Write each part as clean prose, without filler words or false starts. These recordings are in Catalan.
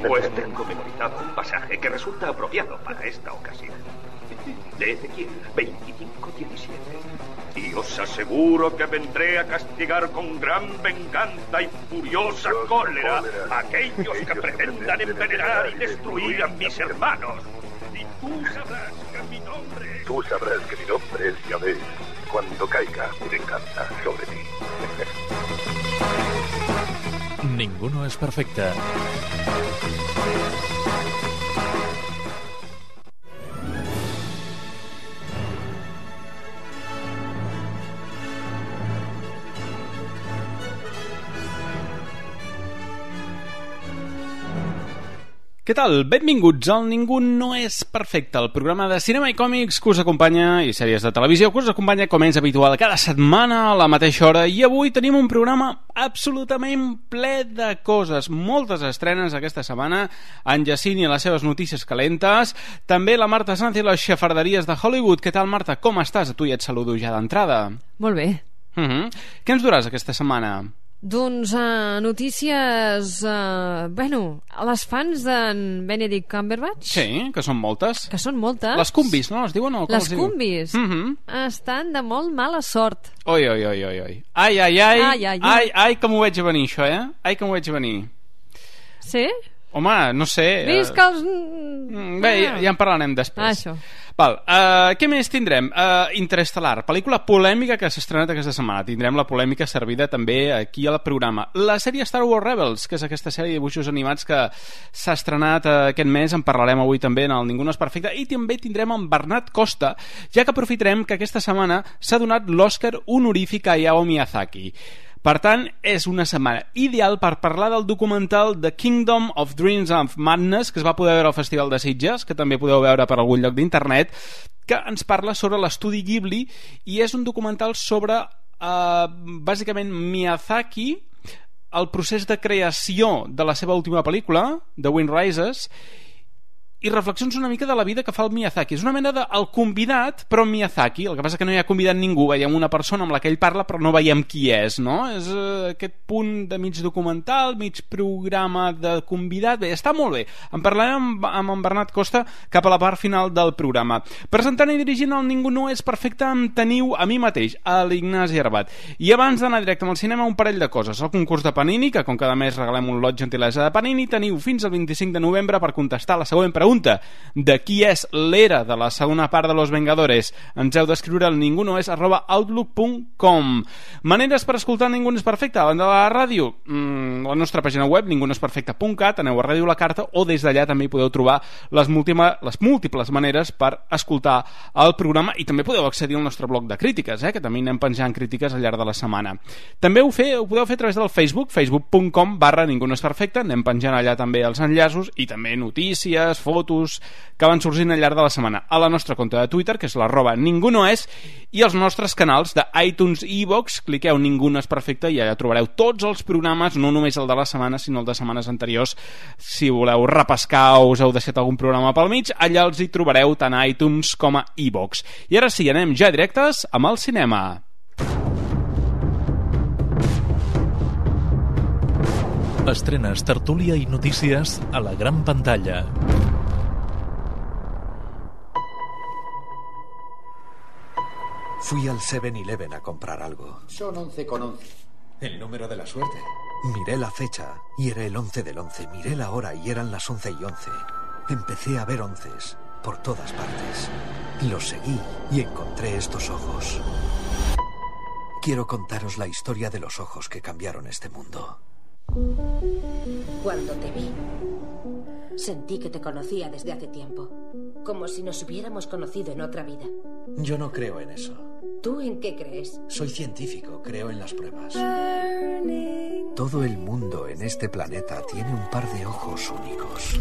Pues tengo memorizado un pasaje que resulta apropiado para esta ocasión. De Ezequiel 25:17. Y os aseguro que vendré a castigar con gran venganza y furiosa cólera a aquellos que pretendan envenenar y destruir a mis hermanos. Y tú sabrás que mi nombre es Yahvé cuando caiga mi venganza sobre ti. Ninguno es perfecte. Què tal? Benvinguts al Ningú no és perfecte, el programa de cinema i còmics que us acompanya, i sèries de televisió que us acompanya, com és habitual, cada setmana a la mateixa hora. I avui tenim un programa absolutament ple de coses, moltes estrenes aquesta setmana, en Jacint i les seves notícies calentes, també la Marta Sanz i les xafarderies de Hollywood. Què tal, Marta? Com estàs? A tu ja et saludo ja d'entrada. Molt bé. Què ens duràs aquesta setmana? Doncs notícies... bueno, a les fans d'en Benedict Cumberbatch. Sí, que són moltes. Que són moltes. Les cumbis, no? Es diuen? Les cumbis. Estan de molt mala sort. Oi. Ai, que m'ho veig a venir, això, eh? Ai, que m'ho veig a venir. Sí? Home, no sé... Visca els... Bé, ja en parlarem després. Això. Val, què més tindrem? Interestel·lar, pel·lícula polèmica que s'ha estrenat aquesta setmana. Tindrem la polèmica servida també aquí al programa. La sèrie Star Wars Rebels, que és aquesta sèrie de dibuixos animats que s'ha estrenat aquest mes, en parlarem avui també en el Ningú no és perfecte, i també tindrem en Bernat Costa, ja que aprofitarem que aquesta setmana s'ha donat l'Oscar honorífic a Hayao Miyazaki. Per tant, és una setmana ideal per parlar del documental The Kingdom of Dreams and Madness, que es va poder veure al Festival de Sitges, que també podeu veure per algun lloc d'internet, que ens parla sobre l'estudi Ghibli, i és un documental sobre, bàsicament, Miyazaki, el procés de creació de la seva última pel·lícula, The Wind Rises, i reflexions una mica de la vida que fa el Miyazaki. És una mena de el convidat, però Miyazaki. El que passa que no hi ha convidat ningú. Veiem una persona amb la que ell parla, però no veiem qui és, no? És aquest punt de mig documental, mig programa de convidat. Bé, està molt bé. En parlarem amb en Bernat Costa cap a la part final del programa. Presentant i dirigint el Ningú no és perfecte em teniu a mi mateix, a l'Ignasi Arbat. I abans d'anar directe al cinema, un parell de coses. El concurs de Panini, que com cada mes regalem un lot gentilesa de Panini, teniu fins al 25 de novembre per contestar la següent pregunta. De qui és l'era de la segona part de Los Vengadores. Ens heu d'escriure al ningunoes@outlook.com. Maneres per escoltar Ningú no és perfecte a banda de la ràdio, la nostra pàgina web ningunoesperfecte.cat, aneu a Ràdio La Carta, o des d'allà també hi podeu trobar les múltiples maneres per escoltar el programa, i també podeu accedir al nostre bloc de crítiques, que també anem penjant crítiques al llarg de la setmana. També ho podeu fer a través del Facebook, facebook.com/ningunoesperfecte. Anem penjant allà també els enllaços i també notícies, fotos que van sorgint al llarg de la setmana. A la nostra compte de Twitter, que és @ningunoes, i els nostres canals de iTunes i iVoox. Cliqueu Ningú no és perfecte i allà trobareu tots els programes, no només el de la setmana, sinó el de setmanes anteriors. Si voleu repescar o us heu deixat algun programa pel mig, allà els hi trobareu tant a iTunes com a iVoox. I ara sí, anem ja directes amb el cinema. Estrenes, tertúlia i notícies a la gran pantalla. Fui al 7-Eleven a comprar algo. Son 11 con 11. El número de la suerte. Miré la fecha y era el 11 del 11. Miré la hora y eran las 11:11. Empecé a ver onces por todas partes. Los seguí y encontré estos ojos. Quiero contaros la historia de los ojos que cambiaron este mundo. Cuando te vi, sentí que te conocía desde hace tiempo, como si nos hubiéramos conocido en otra vida. Yo no creo en eso. ¿Tú en qué crees? Soy científico, creo en las pruebas. Todo el mundo en este planeta tiene un par de ojos únicos.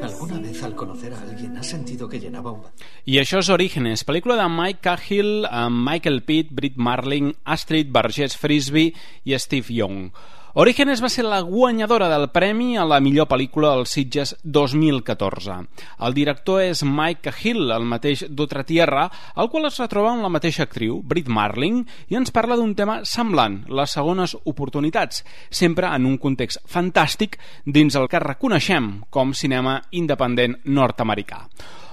¿Alguna vez al conocer a alguien has sentido que llenaba un... I això és Orígenes, pel·lícula de Mike Cahill amb Michael Pitt, Brit Marling, Astrid Burgess Frisbee i Steve Young. Orígenes va ser la guanyadora del premi a la millor pel·lícula als Sitges 2014. El director és Mike Cahill, el mateix d'Otra Tierra, el qual es retroba amb la mateixa actriu, Brit Marling, i ens parla d'un tema semblant, les segones oportunitats, sempre en un context fantàstic dins el que reconeixem com cinema independent nord-americà.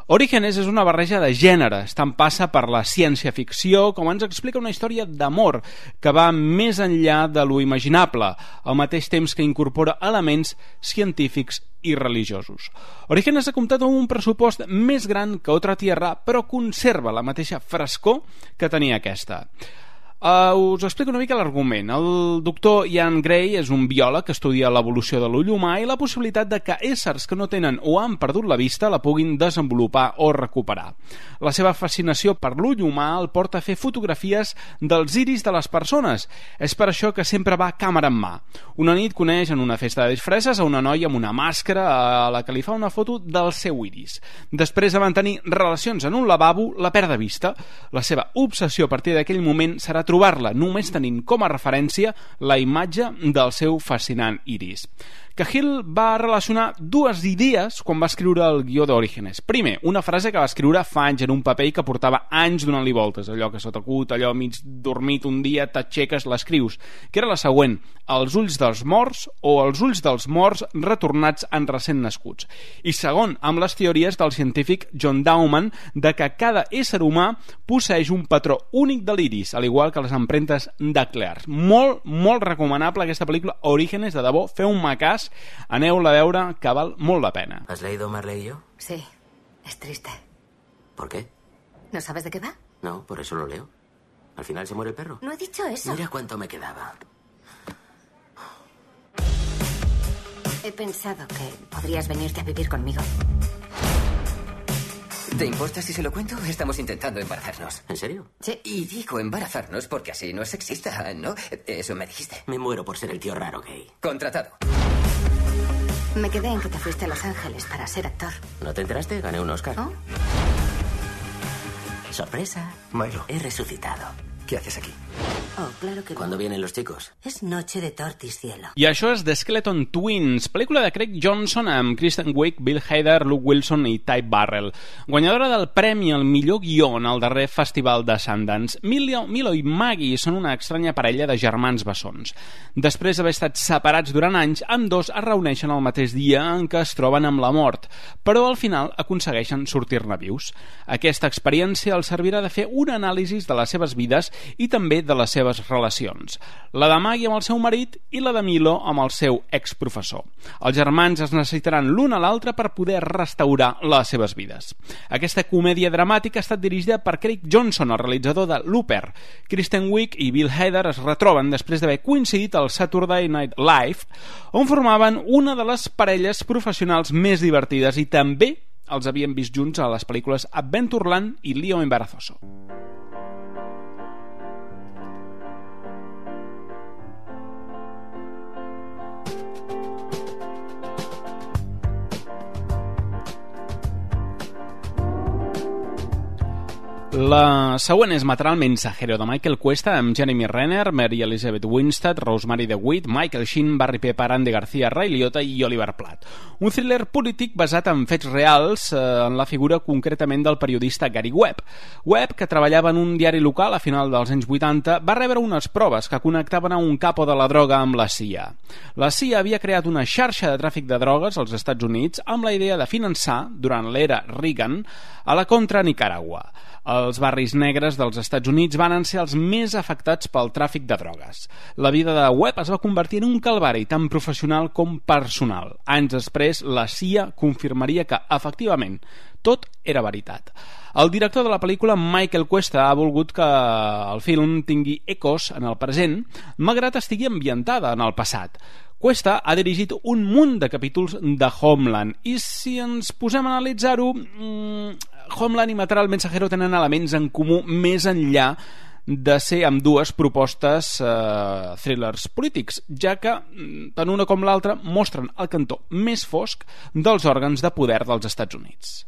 Orígenes és una barreja de gèneres, tant passa per la ciència-ficció com ens explica una història d'amor que va més enllà de lo imaginable, al mateix temps que incorpora elements científics i religiosos. Orígenes ha comptat amb un pressupost més gran que Otra Tierra, però conserva la mateixa frescor que tenia aquesta. Us explico una mica l'argument. El doctor Ian Gray és un biòleg que estudia l'evolució de l'ull humà i la possibilitat de que éssers que no tenen o han perdut la vista la puguin desenvolupar o recuperar. La seva fascinació per l'ull humà el porta a fer fotografies dels iris de les persones. És per això que sempre va càmera en mà. Una nit coneix en una festa de disfresses a una noia amb una màscara a la que li fa una foto del seu iris. Després de mantenir relacions en un lavabo, la perd de vista. La seva obsessió a partir d'aquell moment serà trobar-la només tenint com a referència la imatge del seu fascinant iris. Cahill va relacionar dues idees quan va escriure el guió d'Orígenes. Primer, una frase que va escriure fa anys en un paper i que portava anys donant-li voltes, allò que se t'acut, allò mig dormit un dia, t'aixeques, l'escrius, que era la següent: els ulls dels morts o els ulls dels morts retornats en recent nascuts. I segon, amb les teories del científic John Dowman de que cada ésser humà posseeix un patró únic de l'iris, al igual que les empremtes dactilars. Molt, molt recomanable aquesta pel·lícula Orígenes, de debò, feu-me cas, aneu-la a veure, que val molt la pena. ¿Has leído Marley y yo? Sí, es triste. ¿Por qué? ¿No sabes de qué va? No, por eso lo leo. Al final se muere el perro. No he dicho eso. Mira cuánto me quedaba. He pensado que podrías venirte a vivir conmigo. ¿Te importa si se lo cuento? Estamos intentando embarazarnos. ¿En serio? Sí. Y digo embarazarnos porque así no es sexista, ¿no? Eso me dijiste. Me muero por ser el tío raro gay. Contratado. Me quedé en que te fuiste a Los Ángeles para ser actor. ¿No te enteraste? Gané un Oscar. ¿Oh? Sorpresa. Milo, He resucitado. ¿qué haces aquí? Oh, claro que ¿Cuándo no. vienen los chicos? Es noche de tortis, cielo. I això és The Skeleton Twins, pel·lícula de Craig Johnson amb Kristen Wiig, Bill Hader, Luke Wilson i Ty Burrell. Guanyadora del premi al millor guió en el darrer festival de Sundance. Milo i Maggie són una estranya parella de germans bessons. Després d'haver estat separats durant anys, ambdós es reuneixen el mateix dia en què es troben amb la mort, però al final aconsegueixen sortir-ne vius. Aquesta experiència els servirà de fer un anàlisi de les seves vides i també de les seves relacions. La de Maggie amb el seu marit i la de Milo amb el seu exprofessor. Els germans es necessitaran l'un a l'altre per poder restaurar les seves vides. Aquesta comèdia dramàtica ha estat dirigida per Craig Johnson, el realitzador de Looper. Kristen Wiig i Bill Hader es retroben després d'haver coincidit al Saturday Night Live, on formaven una de les parelles professionals més divertides i també els havien vist junts a les pel·lícules Adventureland i Lío Embarazoso. La següent és Matar al mensajero, de Michael Cuesta, amb Jeremy Renner, Mary Elizabeth Winstead, Rosemary DeWitt, Michael Sheen, Barry Pepper, Andy García, Ray Liotta i Oliver Platt. Un thriller polític basat en fets reals, en la figura concretament del periodista Gary Webb. Webb, que treballava en un diari local a final dels anys 80, va rebre unes proves que connectaven a un capo de la droga amb la CIA. La CIA havia creat una xarxa de tràfic de drogues als Estats Units amb la idea de finançar, durant l'era Reagan, a la contra Nicaragua. Els barris negres dels Estats Units van ser els més afectats pel tràfic de drogues. La vida de Webb es va convertir en un calvari tant professional com personal. Anys després, la CIA confirmaria que, efectivament, tot era veritat. El director de la pel·lícula, Michael Cuesta, ha volgut que el film tingui ecos en el present, malgrat estigui ambientada en el passat. Cuesta ha dirigit un munt de capítols de Homeland i si ens posem a analitzar-ho, Homeland i Matar al mensajero tenen elements en comú més enllà de ser amb dues propostes thrillers polítics, ja que tant una com l'altra mostren el cantó més fosc dels òrgans de poder dels Estats Units.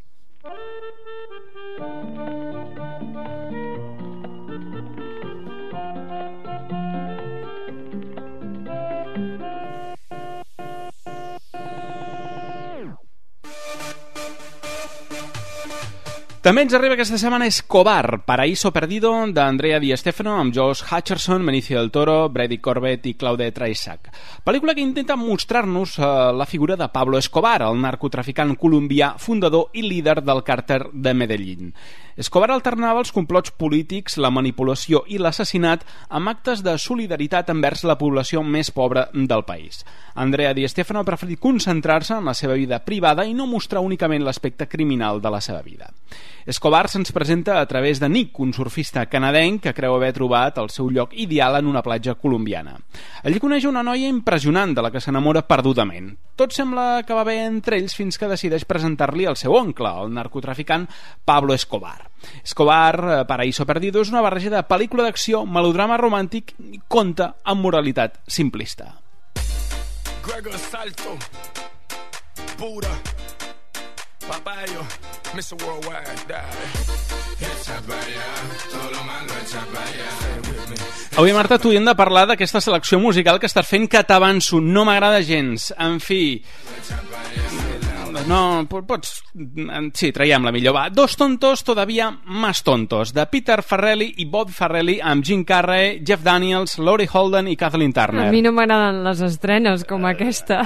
També ens arriba aquesta setmana Escobar, Paraíso Perdido, d'Andrea Di Stefano, amb Josh Hutcherson, Benicio del Toro, Brady Corbett i Claude Traisac. Pel·lícula que intenta mostrar-nos la figura de Pablo Escobar, el narcotraficant colombià, fundador i líder del càrtel de Medellín. Escobar alternava els complots polítics, la manipulació i l'assassinat amb actes de solidaritat envers la població més pobra del país. Andrea Di Stefano ha preferit concentrar-se en la seva vida privada i no mostrar únicament l'aspecte criminal de la seva vida. Escobar se'ns presenta a través de Nick, un surfista canadenc que creu haver trobat el seu lloc ideal en una platja colombiana. Allí coneix una noia impressionant de la que s'enamora perdudament. Tot sembla que va bé entre ells fins que decideix presentar-li el seu oncle, el narcotraficant Pablo Escobar. Escobar, Paraíso Perdido, és una barreja de pel·lícula d'acció, melodrama romàntic i conte amb moralitat simplista. Gregor Salto, pura, papayo, Mr. Worldwide, Avui, Marta, tu hi hem de parlar d'aquesta selecció musical que estàs fent, que t'avanço, no m'agrada gens. En fi... No, pots... Sí, traiem-la millor. Va, Dos tontos todavía más tontos, de Peter Farrelly i Bob Farrelly, amb Jim Carrey, Jeff Daniels, Laurie Holden i Kathleen Turner. A mi no m'agraden les estrenes com aquesta.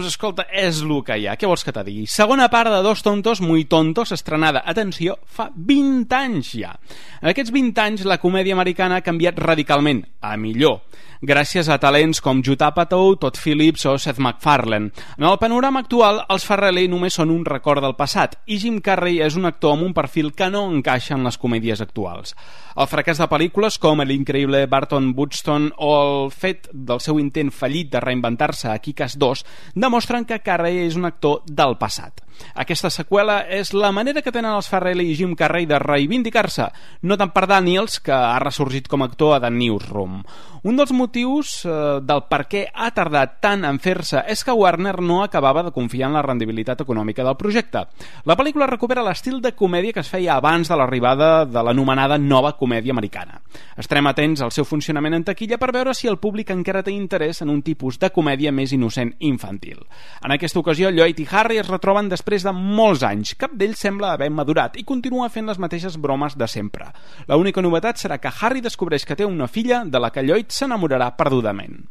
Escolta, és el que hi ha. Què vols que te digui? Segona part de Dos tontos muy tontos, estrenada, atenció, fa 20 anys ja. En aquests 20 anys la comèdia americana ha canviat radicalment, a millor, gràcies a talents com Judd Apatow, Todd Phillips o Seth MacFarlane. En el panorama actual, els Farrelly només són un record del passat i Jim Carrey és un actor amb un perfil que no encaixa en les comèdies actuals. El fracàs de pel·lícules com l'increïble Barton Buxton o el fet del seu intent fallit de reinventar-se a Kick-Ass 2 demostren que Carrey és un actor del passat. Aquesta seqüela és la manera que tenen els Farrelly i Jim Carrey de reivindicar-se, no tant per Daniels, que ha ressorgit com a actor a The Newsroom. Un dels motius del per què ha tardat tant en fer-se és que Warner no acabava de confiar en la rendibilitat econòmica del projecte. La pel·lícula recupera l'estil de comèdia que es feia abans de l'arribada de l'anomenada nova comèdia americana. Estarem atents al seu funcionament en taquilla per veure si el públic encara té interès en un tipus de comèdia més innocent i infantil. En aquesta ocasió, Lloyd i Harry es retroben després de molts anys. Cap d'ells sembla haver madurat i continua fent les mateixes bromes de sempre. L'única novetat serà que Harry descobreix que té una filla de la que Lloyd s'enamorarà perdudament.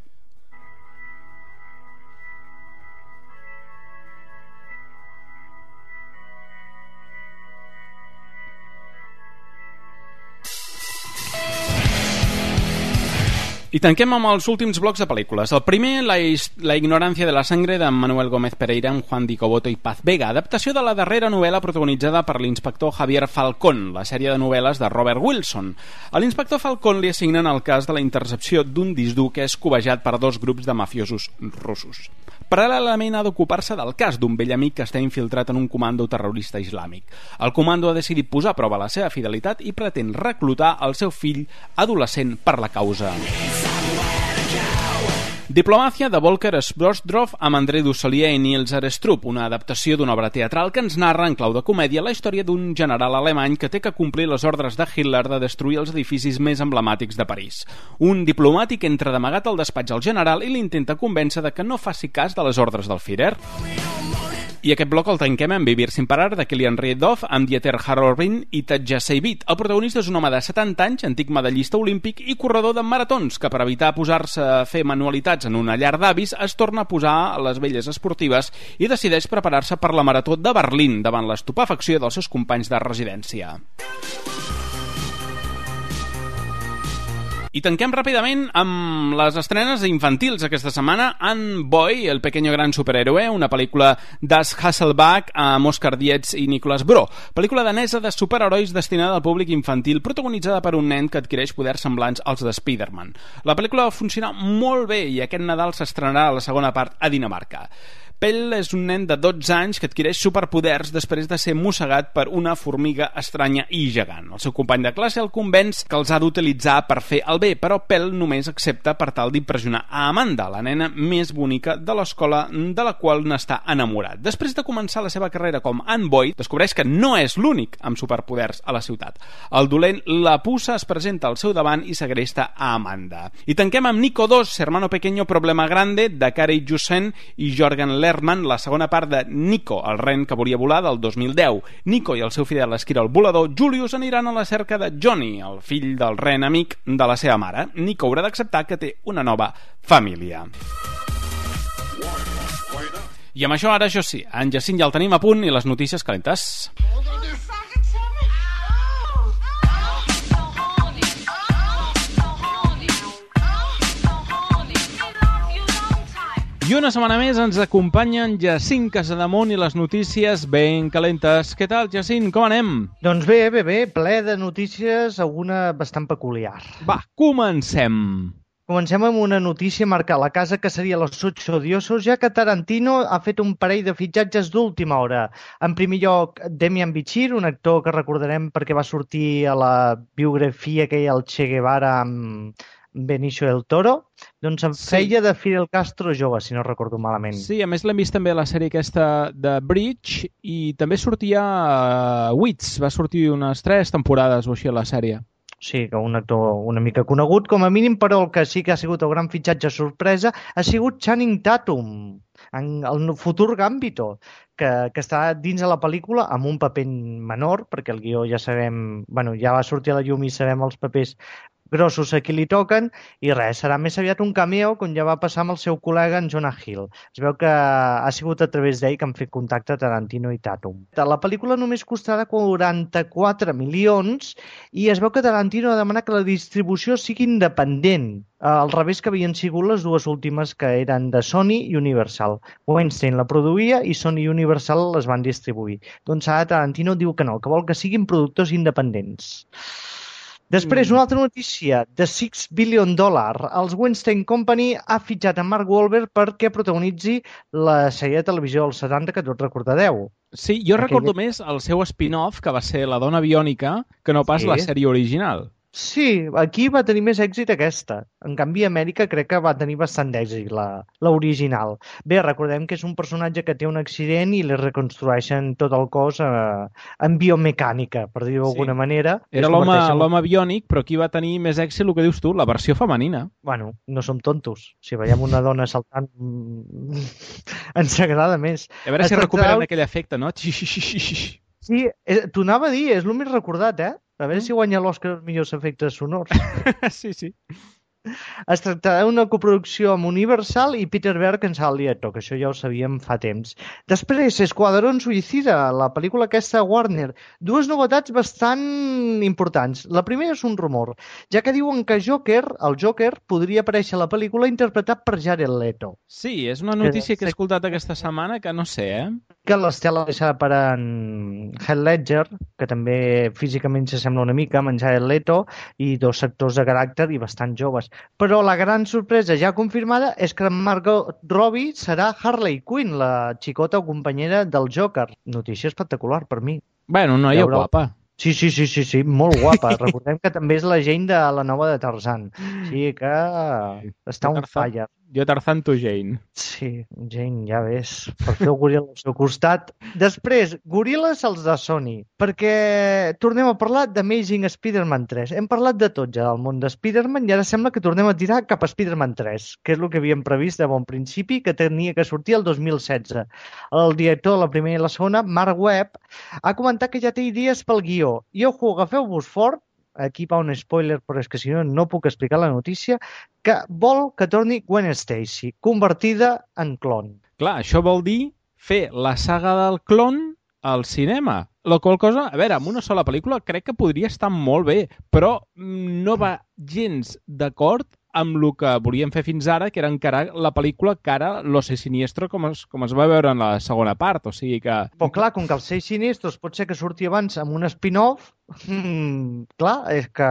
I tanquem amb els últims blocs de pel·lícules. El primer, La ignorancia de la sangre, de Manuel Gómez Pereira, amb Juan Di Coboto i Paz Vega, adaptació de la darrera novel·la protagonitzada per l'inspector Javier Falcón, la sèrie de novel·les de Robert Wilson. A l'inspector Falcón li assignen el cas de la intercepció d'un disc dur que és cobejat per dos grups de mafiosos russos. Paral·lelament ha d'ocupar-se del cas d'un vell amic que està infiltrat en un comando terrorista islàmic. El comando ha decidit posar a prova la seva fidelitat i pretén reclutar el seu fill adolescent per la causa. Diplomacia, de Volker Sbrosdorf, amb André Dussolier i Niels Arestrup, una adaptació d'una obra teatral que ens narra en clau de comèdia la història d'un general alemany que té que complir les ordres de Hitler de destruir els edificis més emblemàtics de París. Un diplomàtic entra d'amagat al despatx al general i l'intenta convèncer de que no faci cas de les ordres del Führer. I aquest bloc el tanquem amb Vivir sin parar, de Kilian Riedhoff, amb Dieter Harrobin i Tatja Seivit. El protagonista és un home de 70 anys, antic medallista olímpic i corredor de maratons, que per evitar posar-se a fer manualitats en una llar d'avis es torna a posar a les velles esportives i decideix preparar-se per la marató de Berlín davant l'estupefacció dels seus companys de residència. I tanquem ràpidament amb les estrenes infantils aquesta setmana. Anne Boy, el pequeño gran superhéroe, una pel·lícula d'As Hasselbalch amb Oscar Dietz i Nicolas Bro. Pel·lícula danesa de superherois destinada al públic infantil, protagonitzada per un nen que adquireix poders semblants als de Spider-Man. La pel·lícula va funcionar molt bé i aquest Nadal s'estrenarà a la segona part a Dinamarca. Pell és un nen de 12 anys que adquireix superpoders després de ser mossegat per una formiga estranya i gegant. El seu company de classe el convenç que els ha d'utilitzar per fer el bé, però Pell només accepta per tal d'impressionar a Amanda, la nena més bonica de l'escola de la qual n'està enamorat. Després de començar la seva carrera com Anne Boy, descobreix que no és l'únic amb superpoders a la ciutat. El dolent La Puça es presenta al seu davant i segresta a Amanda. I tanquem amb Nico 2, Hermano Pequeño Problema Grande, de Kari Jussen i Jorgen Lerman la segona part de Nico, el ren que volia volar, del 2010. Nico i el seu fidel esquirol volador Julius aniran a la cerca de Johnny, el fill del ren amic de la seva mare. Nico haurà d'acceptar que té una nova família. I amb això ara, jo sí, en Jacint ja el tenim a punt i les notícies calentes. I una setmana més ens acompanyen Jacint Casademont i les notícies ben calentes. Què tal, Jacint? Com anem? Doncs bé, ple de notícies, alguna bastant peculiar. Va, comencem. Comencem amb una notícia marcada a la casa que seria Los Ocho Odiosos, ja que Tarantino ha fet un parell de fitxatges d'última hora. En primer lloc, Demian Bichir, un actor que recordarem perquè va sortir a la biografia que hi ha el Che Guevara amb Benicio del Toro, doncs en feia de Fidel Castro jove, si no recordo malament. Sí, a més l'hem vist també a la sèrie aquesta de Bridge i també sortia a Wits, va sortir unes 3 temporades o així a la sèrie. Sí, que un actor una mica conegut, com a mínim, però el que sí que ha sigut el gran fitxatge sorpresa ha sigut Channing Tatum, en el futur Gambito, que està dins de la pel·lícula amb un paper menor, perquè el guió ja sabem, ja va sortir a la llum i sabem els papers grossos a qui li toquen, i res, serà més aviat un cameo, com ja va passar amb el seu col·lega en Jonah Hill. Es veu que ha sigut a través d'ell que han fet contacte Tarantino i Tatum. La pel·lícula només costarà 44 milions i es veu que Tarantino ha demanat que la distribució sigui independent, al revés que havien sigut les dues últimes que eren de Sony i Universal. Weinstein la produïa i Sony i Universal les van distribuir. Doncs ara Tarantino diu que no, que vol que siguin productors independents. Després, una altra notícia, The $6 billion. Els Weinstein Company ha fitxat a Mark Wahlberg perquè protagonitzi la sèrie de televisió dels 70 que tots recordareu. Sí, jo recordo més el seu spin-off, que va ser La dona biònica, que no pas la sèrie original. Sí, aquí va tenir més èxit aquesta. En canvi, a Amèrica crec que va tenir bastant d'èxit l'original. Bé, recordem que és un personatge que té un accident i li reconstrueixen tot el cos en biomecànica, per dir-ho d'alguna manera. Era l'home biònic, però aquí va tenir més èxit, el que dius tu, la versió femenina. Bueno, no som tontos. Si veiem una dona saltant, ens agrada més. A veure si recuperen aquell efecte, no? Sí, t'ho anava a dir, és el més recordat, eh? A veure si guanya l'Òscar els millors efectes sonors. Sí. Es tractarà d'una coproducció amb Universal i Peter Berg en serà el director, que això ja ho sabíem fa temps. Després, Esquadrón Suïcida, la pel·lícula aquesta de Warner. Dues novetats bastant importants. La primera és un rumor, ja que diuen que el Joker, podria aparèixer a la pel·lícula interpretat per Jared Leto. Sí, és una notícia que he escoltat aquesta setmana que no sé, Que l'Estela deixarà per en Heath Ledger, que també físicament s'assembla una mica amb en Jared Leto, i dos actors de caràcter i bastant joves. Però la gran sorpresa ja confirmada és que Margot Robbie serà Harley Quinn, la xicota o companyera del Joker. Notícia espectacular per mi. Bueno, noia guapa. Sí, molt guapa. Recordem que també és la Jane de la nova de Tarzan. Sí, que està on falla. Jo Tarzan, tu Jane. Sí, Jane, ja ves. Per fer el goril al seu costat. Després, goril·les els de Sony. Perquè tornem a parlar d'Amazing Spider-Man 3. Hem parlat de tot ja del món de Spider-Man i ara sembla que tornem a tirar cap a Spider-Man 3, que és el que havíem previst de bon principi, que tenia que sortir el 2016. El director de la primera i la segona, Mark Webb, ha comentat que ja té idees pel guió. I ojo, agafeu-vos fort, aquí va un spoiler, però és que si no puc explicar la notícia, que vol que torni Gwen Stacy, convertida en clon. Clar, això vol dir fer la saga del clon al cinema. La qual cosa, a veure, amb una sola pel·lícula crec que podria estar molt bé, però no va gens d'acord amb el que volíem fer fins ara, que era encarar la pel·lícula cara Los Seis Siniestros, com es va veure en la segona part, o sigui que... Però clar, com que els Seis Siniestros pot ser que surti abans amb un spin-off, clar, és que...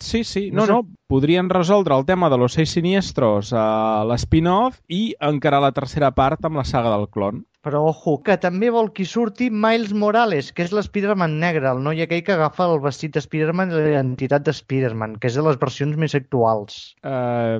Sí, no, podrien resoldre el tema de Los Seis Siniestros a l'spin-off i encarar la tercera part amb la saga del clon. Però, ojo, que també vol que surti Miles Morales, que és l'Spider-Man negre, el noi aquell que agafa el vestit de Spider-Man i l'identitat de Spider-Man, que és de les versions més actuals.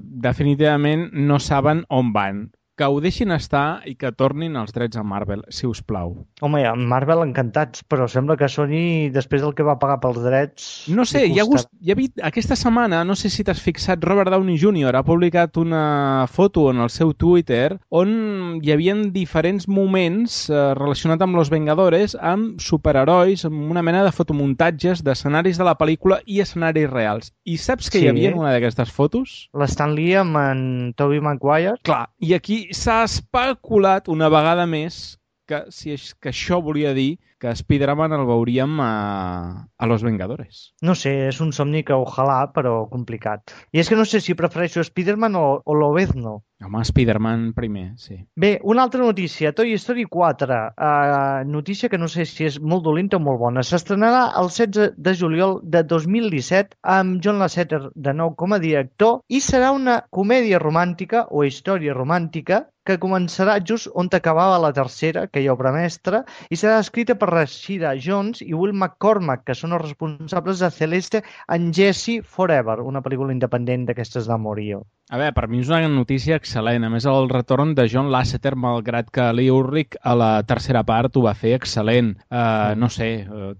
Definitivament no saben on van. que ho deixin estar i que tornin els drets a Marvel, si us plau. Home, a Marvel encantats, però sembla que Sony, després del que va pagar pels drets... No sé, hi ha aquesta setmana, no sé si t'has fixat, Robert Downey Jr. ha publicat una foto en el seu Twitter on hi havia diferents moments relacionats amb Los Vengadores, amb superherois, amb una mena de fotomuntatges d'escenaris de la pel·lícula i escenaris reals. I saps què hi havia en una d'aquestes fotos? L'Stan Lee amb en Tobey Maguire. Clar, i aquí s'ha especulat una vegada més que això volia dir que Spider-Man el veuríem a Los Vengadores. No sé, és un somni que ojalà, però complicat. I és que no sé si prefereixo Spider-Man o Lobezno. Home, Spider-Man primer, sí. Bé, una altra notícia, Toy Story 4. Notícia que no sé si és molt dolenta o molt bona. S'estrenarà el 16 de juliol de 2017 amb John Lasseter de nou com a director i serà una comèdia romàntica o història romàntica que començarà just on acabava la tercera, que hi ha obra mestra, i serà escrita per Rashida Jones i Will McCormack, que són els responsables de Celeste and Jesse Forever, una pel·lícula independent d'aquestes d'Amorio. A veure, per mi és una notícia excel·lent. A més, el retorn de John Lasseter, malgrat que Lee Ulrich a la tercera part ho va fer excel·lent. No sé,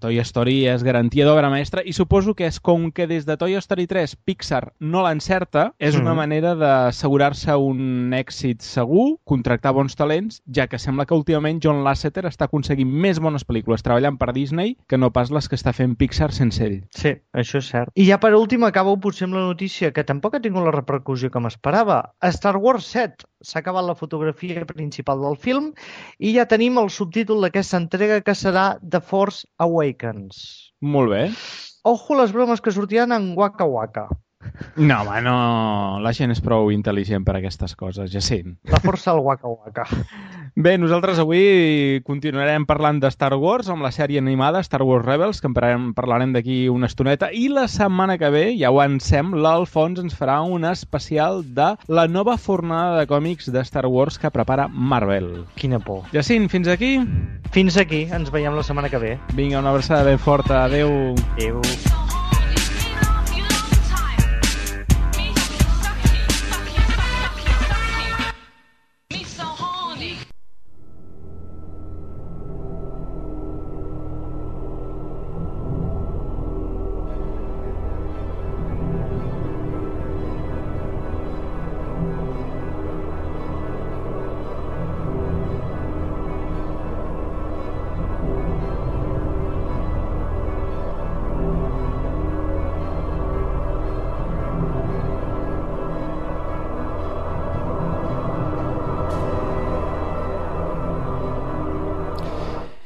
Toy Story és garantia d'obra mestra i suposo que és com que des de Toy Story 3 Pixar no l'encerta, és una manera d'assegurar-se un èxit segur, contractar bons talents, ja que sembla que últimament John Lasseter està aconseguint més bones pel·lícules treballant per Disney que no pas les que està fent Pixar sense ell. Sí, això és cert. I ja per últim acabo potser amb la notícia que tampoc ha tingut la repercussió que m'esperava. A Star Wars 7 s'ha acabat la fotografia principal del film i ja tenim el subtítol d'aquesta entrega que serà The Force Awakens. Molt bé. Ojo les bromes que sortiran en Waka Waka. No, home, no. La gent és prou intel·ligent per a aquestes coses, Jacint. La força al Waka Waka. Bé, nosaltres avui continuarem parlant de Star Wars amb la sèrie animada Star Wars Rebels, que en parlarem d'aquí una estoneta, i la setmana que ve, ja ho avancem, l'Alfons ens farà un especial de la nova fornada de còmics de Star Wars que prepara Marvel. Quina por. Jacint, fins aquí? Fins aquí, ens veiem la setmana que ve. Vinga, una abraçada ben forta. Adéu. Adéu.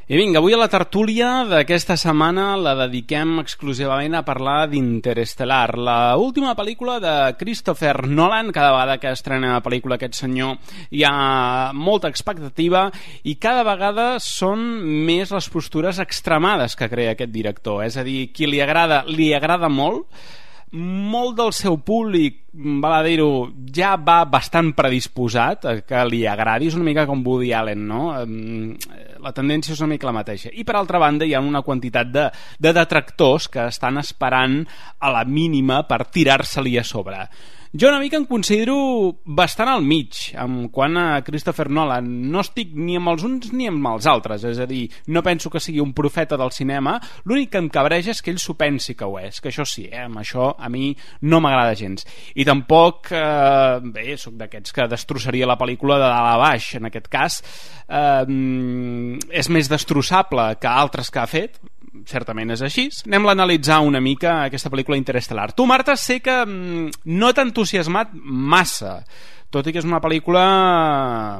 I vinga, avui a la tertúlia d'aquesta setmana la dediquem exclusivament a parlar d'Interestelar, la última pel·lícula de Christopher Nolan. Cada vegada que estrena pel·lícula aquest senyor hi ha molta expectativa i cada vegada són més les postures extremades que crea aquest director. És a dir, qui li agrada molt del seu públic, val a dir-ho, ja va bastant predisposat a que li agradi. És una mica com Woody Allen, no? La tendència és una mica la mateixa. I per altra banda hi ha una quantitat de detractors que estan esperant a la mínima per tirar-se-li a sobre. Jo una mica em considero bastant al mig en quant a Christopher Nolan. No estic ni amb els uns ni amb els altres, és a dir, no penso que sigui un profeta del cinema. L'únic que em cabreja és que ell s'ho pensi que ho és, que això sí, amb això a mi no m'agrada gens. I tampoc, bé, sóc d'aquests que destrossaria la pel·lícula de dalt a baix. En aquest cas és més destrossable que altres que ha fet, certament és així. Anem a analitzar una mica aquesta pel·lícula Interestelar. Tu, Marta, sé que no t'ha entusiasmat massa, tot i que és una pel·lícula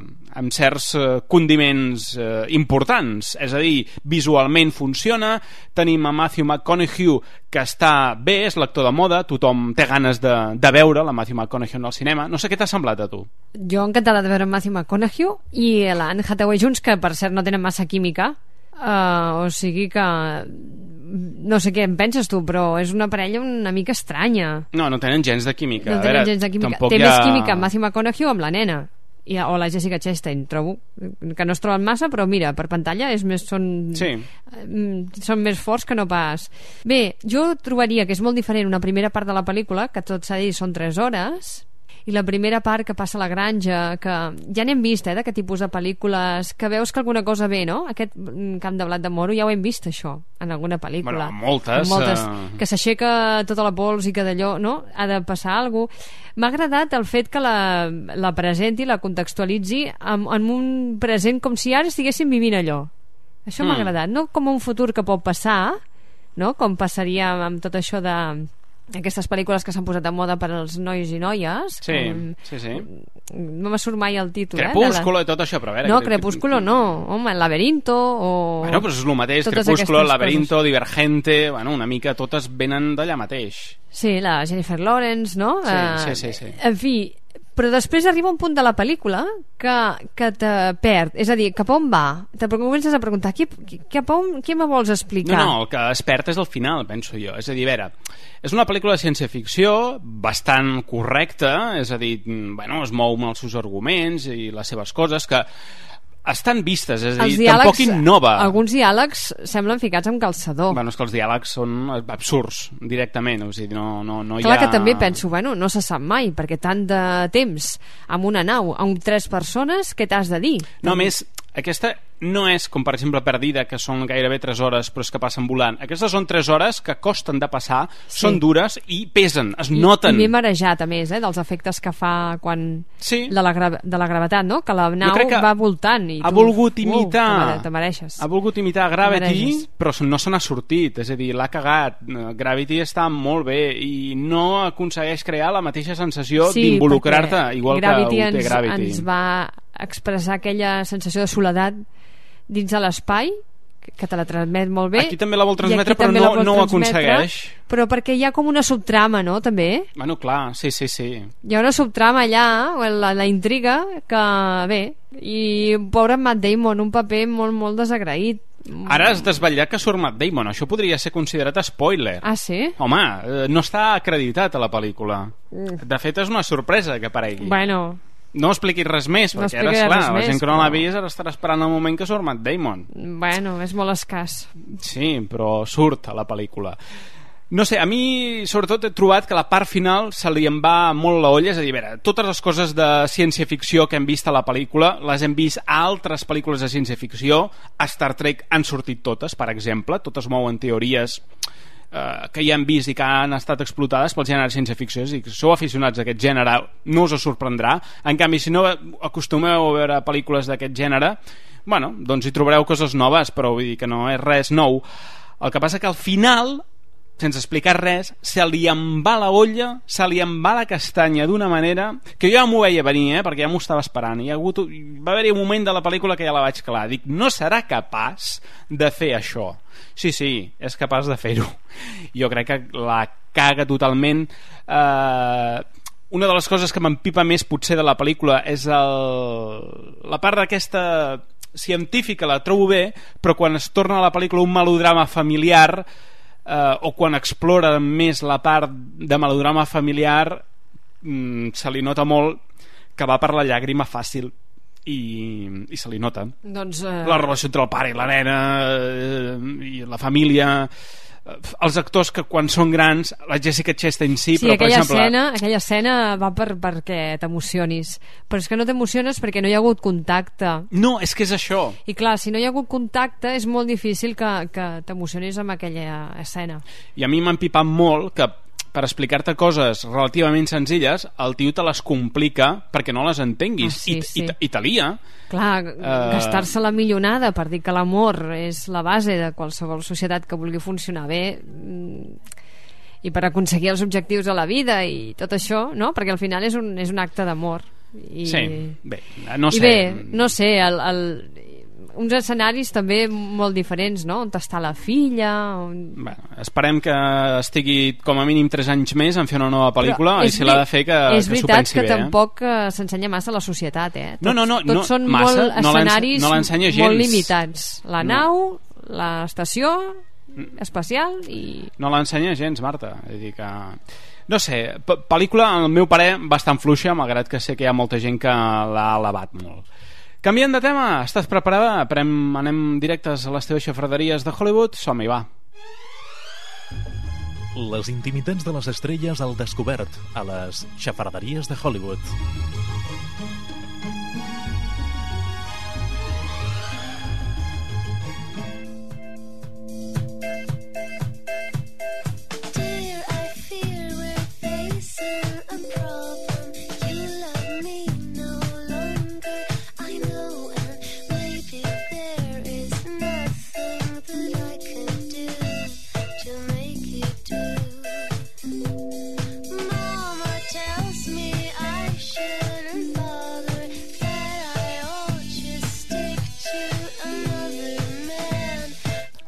amb certs condiments importants. És a dir, visualment funciona, tenim a Matthew McConaughey, que està bé, és l'actor de moda, tothom té ganes de veure la Matthew McConaughey al cinema. No sé què t'ha semblat a tu. Jo encantada de veure Matthew McConaughey i l'Anne Hathaway junts, que per cert no tenen massa química. O sigui que no sé què en penses tu, però és una parella una mica estranya. No tenen gens de química. No tenen gens de química. Té més química amb Matthew McConaughey o amb la nena o la Jessica Chastain. Trobo que no es troben massa, però mira, per pantalla són més forts que no pas. Bé, jo trobaria que és molt diferent una primera part de la pel·lícula, que tot s'ha dit són 3 hores, i la primera part que passa a la granja, que ja n'hem vist, d'aquest tipus de pel·lícules, que veus que alguna cosa ve, no? Aquest camp de blat de moro ja ho hem vist, això, en alguna pel·lícula. Moltes. Que s'aixeca tota la pols i que d'allò, no? Ha de passar alguna cosa. M'ha agradat el fet que la presenti, la contextualitzi en un present com si ara estiguéssim vivint allò. Això m'ha agradat, no com un futur que pot passar, no? Com passaria amb tot això de aquestes pel·lícules que s'han posat de moda per als nois i noies. Sí. No me surt mai el títol. Crepúsculo i tot això, però a veure... No, Crepúsculo no. Home, El laberinto o... Bueno, però és el mateix, Crepúsculo, El laberinto, Divergente... Bueno, una mica totes venen d'allà mateix. Sí, la Jennifer Lawrence, no? Sí. En fi, però després arriba un punt de la pel·lícula que te perd, és a dir, cap on va? Te comences a preguntar, què me vols explicar? No, el que es perd és el final, penso jo. És a dir, a veure, és una pel·lícula de ciència-ficció bastant correcta, és a dir, bueno, es mou amb els seus arguments i les seves coses, que estan vistes, és a dir, tampoc innova. Alguns diàlegs semblen ficats amb calçador. Bueno, és que els diàlegs són absurds, directament, o sigui, no hi ha... Clar que també penso, bueno, no se sap mai, perquè tant de temps amb una nau, amb 3 persones, què t'has de dir? No, més, aquesta no és com per exemple Perdida, que són gairebé 3 hores però és que passen volant. Aquestes són 3 hores que costen de passar, són dures i pesen, es noten. I m'he marejat, a més, dels efectes que fa quan... Sí. De la gravetat, no? Que la nau va voltant i ha volgut imitar te mereixes. Ha volgut imitar Gravity, però no se n'ha sortit, és a dir, l'ha cagat. Gravity està molt bé i no aconsegueix crear la mateixa sensació d'involucrar-te, igual que ho té Gravity. Ens va expressar aquella sensació de soledat dins de l'espai, que te la transmet molt bé. Aquí també la vol transmetre, però no ho aconsegueix. Però perquè hi ha com una subtrama, no?, també. Bueno, clar, sí. Hi ha una subtrama allà, la intriga, que bé, i pobre Matt Damon, un paper molt, molt desagraït. Ara has desvetllat que surt Matt Damon, això podria ser considerat spoiler. Ah, sí? Home, no està acreditat a la pel·lícula. De fet, és una sorpresa que aparegui. Bueno... No expliquis res més, perquè ara, esclar, la gent que no l'ha vist ara estarà esperant el moment que surt Matt Damon. Bueno, és molt escàs. Sí, però surt a la pel·lícula. No sé, a mi sobretot he trobat que la part final se li en va molt la olla, és a dir, a veure, totes les coses de ciència-ficció que hem vist a la pel·lícula les hem vist a altres pel·lícules de ciència-ficció. A Star Trek han sortit totes, per exemple, totes mouen teories que ja han vist i que han estat explotades pel gènere ciència-ficció, és a dir, que sou aficionats a aquest gènere no us sorprendrà. En canvi, si no acostumeu a veure pel·lícules d'aquest gènere, bueno, doncs hi trobareu coses noves, però vull dir que no és res nou. El que passa que al final, sense explicar res, se li en va la olla, se li en va la castanya d'una manera que jo ja m'ho veia venir, perquè ja m'ho estava esperant. Va haver-hi un moment de la pel·lícula que ja la vaig calar. Dic, no serà capaç de fer això. Sí, és capaç de fer-ho. Jo crec que la caga totalment. Una de les coses que m'empipa més potser de la pel·lícula és la part d'aquesta científica, la trobo bé, però quan es torna a la pel·lícula un melodrama familiar, o quan explora més la part de melodrama familiar, se li nota molt que va per la llàgrima fàcil i se li nota. Doncs, la relació entre el pare i la nena i la família, els actors que quan són grans, la Jessica Chastain però per exemple... aquella escena va perquè t'emocionis, però és que no t'emociones perquè no hi ha hagut contacte. No, és que és això. I clar, si no hi ha hagut contacte és molt difícil que t'emocionis amb aquella escena. I a mi m'ha empipat molt que per explicar-te coses relativament senzilles el tio te les complica perquè no les entenguis. I te lia. Clar, gastar-se la millonada per dir que l'amor és la base de qualsevol societat que vulgui funcionar bé i per aconseguir els objectius de la vida i tot això, no? Perquè al final és un acte d'amor. Sí, bé, no sé. I bé, no sé, uns escenaris també molt diferents, no? On està la filla... Bueno, esperem que estigui com a mínim 3 anys més en fer una nova pel·lícula i si l'ha de fer que s'ho pensi bé. És veritat que tampoc s'ensenya massa la societat, No, tots són massa, molt escenaris molt limitats. La nau, l'estació espacial i... No l'ensenya gens, Marta. És dir que... No sé, pel·lícula, al meu parer, bastant fluixa, malgrat que sé que hi ha molta gent que l'ha alabat molt. Canviant de tema, estàs preparada? Anem directes a les teves xafarderies de Hollywood? Som-hi, va. Les intimitats de les estrelles al descobert a les xafarderies de Hollywood.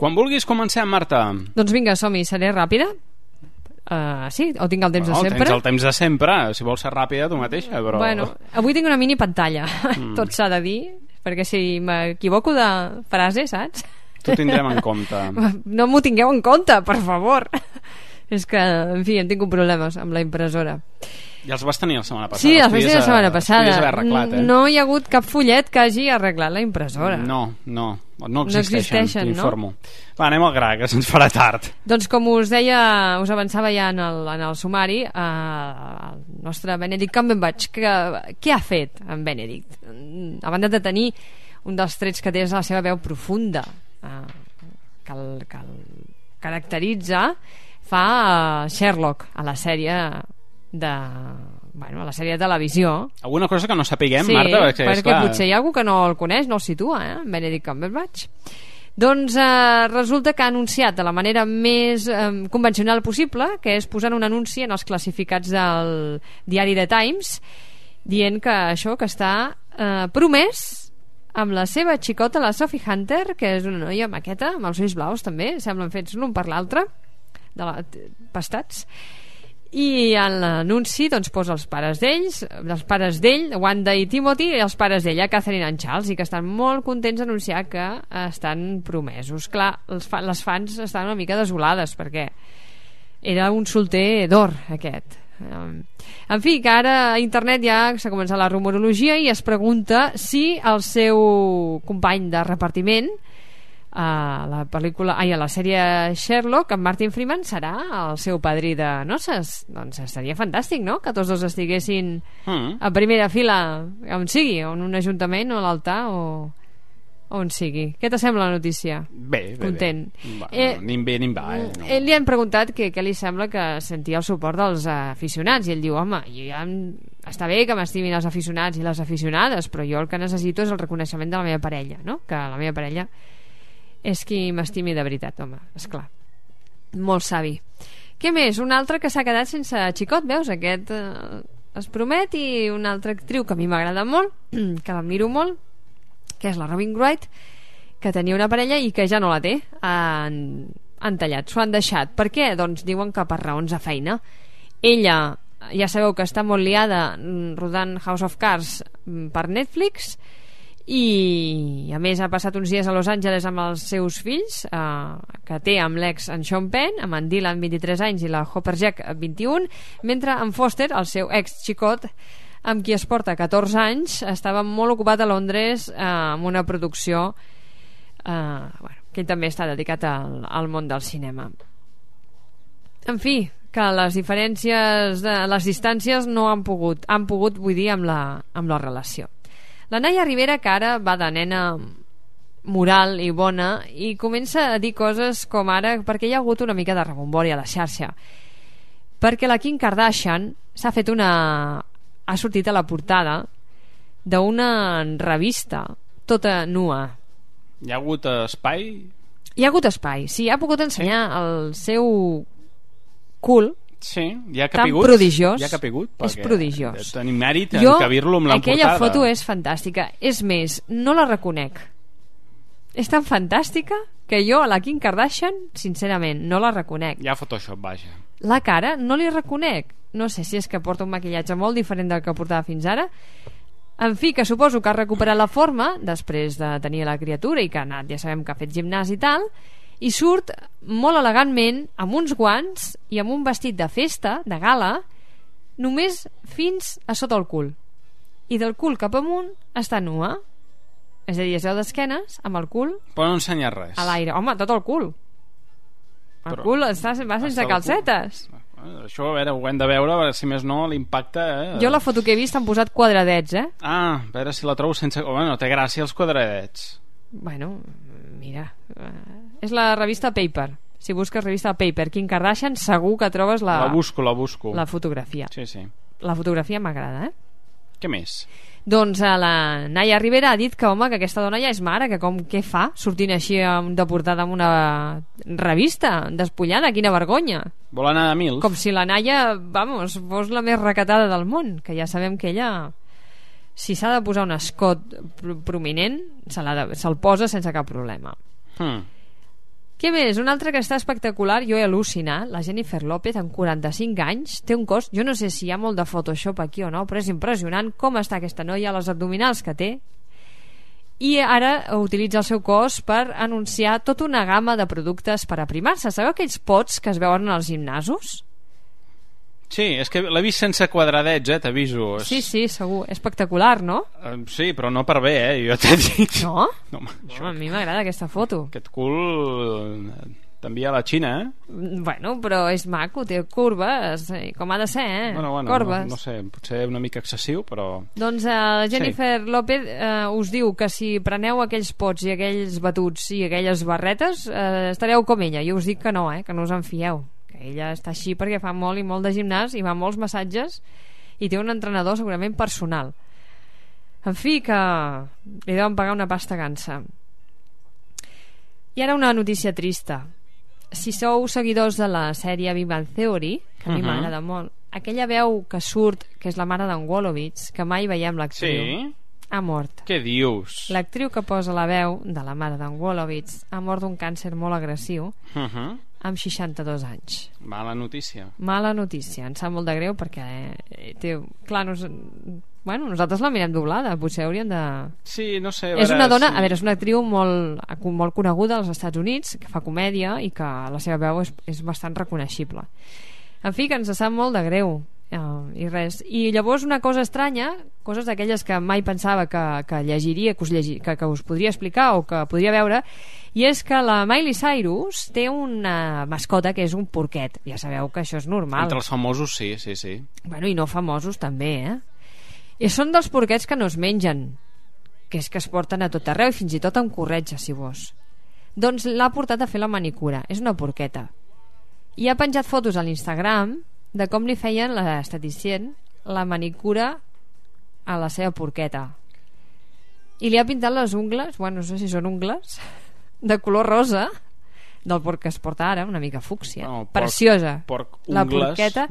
Quan vulguis comencem, Marta. Doncs vinga, som-hi, seré ràpida. Sí? O tinc el temps de sempre? Tens el temps de sempre. Si vols ser ràpida, tu mateixa, però... Bueno, avui tinc una mini pantalla, tot s'ha de dir, perquè si m'equivoco de frase, saps? T'ho tindrem en compte. No m'ho tingueu en compte, per favor. És que, en fi, hem tingut problemes amb la impressora. I els vas tenir la setmana passada. Sí, els vaig tenir la setmana passada. Els podies haver arreglat, No hi ha hagut cap fullet que hagi arreglat la impressora. No existeixen, t'informo. No? Va, anem al gra, que se'ns farà tard. Doncs com us deia, us avançava ja en el sumari, el nostre Benedict Cumberbatch, què ha fet en Benedict? A banda de tenir un dels trets que té és la seva veu profunda, que el caracteritza, fa Sherlock a la sèrie a la sèrie de televisió. Alguna cosa que no sapiguem, sí, Marta? perquè potser hi ha algú que no el coneix, no el situa, Benedict Cumberbatch. Doncs resulta que ha anunciat de la manera més convencional possible, que és posant un anunci en els classificats del diari The Times, dient que això que està promès amb la seva xicota, la Sophie Hunter, que és una noia maqueta, amb els ulls blaus també, semblen fets l'un per l'altre, pastats. I en l'anunci doncs, posa els pares d'ell, Wanda i Timothy, i els pares d'ella, Catherine and Charles, i que estan molt contents d'anunciar que estan promesos. Clar, les fans estan una mica desolades perquè era un solter d'or aquest. En fi, que ara a internet ja s'ha començat la rumorologia i es pregunta si el seu company de repartiment a la sèrie Sherlock, en Martin Freeman, serà el seu padrí de noces. Doncs seria fantàstic, no?, que tots dos estiguessin a primera fila, on sigui, en un ajuntament o a l'altar o on sigui. Què t'assembla la notícia? Bé. Content. Nim bé, nim va. No. Li han preguntat què li sembla que sentia el suport dels aficionats i ell diu, home, està bé que m'estimin els aficionats i les aficionades, però jo el que necessito és el reconeixement de la meva parella, no?, que la meva parella és qui m'estimi de veritat, home, esclar. Molt savi. Què més? Un altre que s'ha quedat sense xicot, veus? Aquest es promet, i una altra actriu que a mi m'agrada molt, que l'admiro molt, que és la Robin Wright, que tenia una parella i que ja no la té. Han tallat, s'ho han deixat. Per què? Doncs diuen que per raons de feina. Ella, ja sabeu que està molt liada rodant House of Cards per Netflix, i a més ha passat uns dies a Los Angeles amb els seus fills, que té amb l'ex en Sean Penn, amb en Dylan 23 anys i la Hopper Jack 21, mentre en Foster, el seu ex xicot amb qui es porta 14 anys, estava molt ocupat a Londres amb una producció que ell també està dedicat al món del cinema. En fi, que les diferències les distàncies no han pogut, vull dir, amb la relació. La Naya Rivera, que ara va de nena moral i bona, i comença a dir coses com ara, perquè hi ha hagut una mica de rebombori a la xarxa, perquè la Kim Kardashian ha sortit a la portada d'una revista tota nua. Hi ha hagut espai? Hi ha hagut espai, sí, ha pogut ensenyar el seu cul. Sí, ja ha capigut. Tan prodigiós. Ja ha capigut. És prodigiós. Tenim mèrit en cabir-lo amb l'emportada. Aquella foto és fantàstica. És més, no la reconec. És tan fantàstica que jo a la Kim Kardashian, sincerament, no la reconec. Hi ha Photoshop, vaja. La cara no li reconec. No sé si és que porta un maquillatge molt diferent del que portava fins ara. En fi, que suposo que ha recuperat la forma després de tenir la criatura i que ha anat, ja sabem que ha fet gimnàs i tal, i surt molt elegantment amb uns guants i amb un vestit de festa, de gala, només fins a sota el cul, i del cul cap amunt està nua, és a dir, es veu d'esquenes amb el cul però no ensenya res a l'aire, home, tot el cul. El cul va sense calcetes. Això, a veure, ho hem de veure, a veure si més no l'impacte... Jo la foto que he vist han posat quadradets, Ah, a veure si la trobo sense... Bueno, té gràcia els quadradets. Bueno, mira... És la revista Paper. Si busques revista Paper, Kim Kardashian, segur que trobes la... La busco. La fotografia. Sí. La fotografia m'agrada, Què més? Doncs la Naya Rivera ha dit que, home, que aquesta dona ja és mare, que què fa sortint així de portada amb una revista despullada, quina vergonya. Vol anar a mils. Com si la Naya, vamos, fos la més recatada del món, que ja sabem que ella, si s'ha de posar un escot prominent, se'l posa sense cap problema. Què més? Un altre que està espectacular, jo he al·lucinat, la Jennifer López, amb 45 anys, té un cos, jo no sé si hi ha molt de Photoshop aquí o no, però és impressionant com està aquesta noia, les abdominals que té, i ara utilitza el seu cos per anunciar tota una gamma de productes per aprimar-se. Sabeu aquells pots que es veuen als gimnasos? Sí, és que l'he vist sense quadradets, t'aviso. Sí, segur, espectacular, no? Sí, però no per bé, jo t'he dit. No? No, a mi m'agrada aquesta foto. Aquest cul t'envia a la Xina, Bueno, però és maco, té curves, com ha de ser, Bueno, corbes. No sé, potser una mica excessiu, però... Doncs Jennifer López us diu que si preneu aquells pots i aquells batuts i aquelles barretes, estareu com ella. Jo us dic que no, que no us en fieu. Ella està així perquè fa molt i molt de gimnàs i va a molts massatges i té un entrenador segurament personal. En fi, que li deuen pagar una pasta gansa. I ara una notícia trista. Si sou seguidors de la sèrie Big Bang Theory, que a mi m'agrada molt, aquella veu que surt, que és la mare d'en Wolowitz, que mai veiem l'actriu, ha mort. Què dius? L'actriu que posa la veu de la mare d'en Wolowitz ha mort d'un càncer molt agressiu amb 62 anys. Mala notícia. Mala notícia, em sap molt de greu perquè clar, nosaltres la mirem doblada, potser hauríem de... Sí, no sé. És una dona, a veure, és una actriu molt coneguda als Estats Units, que fa comèdia i que la seva veu és bastant reconeixible. En fi, que ens sap molt de greu. I res. I llavors una cosa estranya, coses d'aquelles que mai pensava que llegiria, que us podria explicar o que podria veure, i és que la Miley Cyrus té una mascota que és un porquet. Ja sabeu que això és normal. Entre els famosos sí. Bueno, i no famosos també, I són dels porquets que no es mengen, que és que es porten a tot arreu i fins i tot amb corretja, si vols. Doncs l'ha portat a fer la manicura. És una porqueta. I ha penjat fotos a l'Instagram de com li feien l'esteticient la manicura a la seva porqueta, i li ha pintat les ungles, bueno, no sé si són ungles de color rosa del porc que es porta ara, una mica fúcsia, preciosa la porqueta.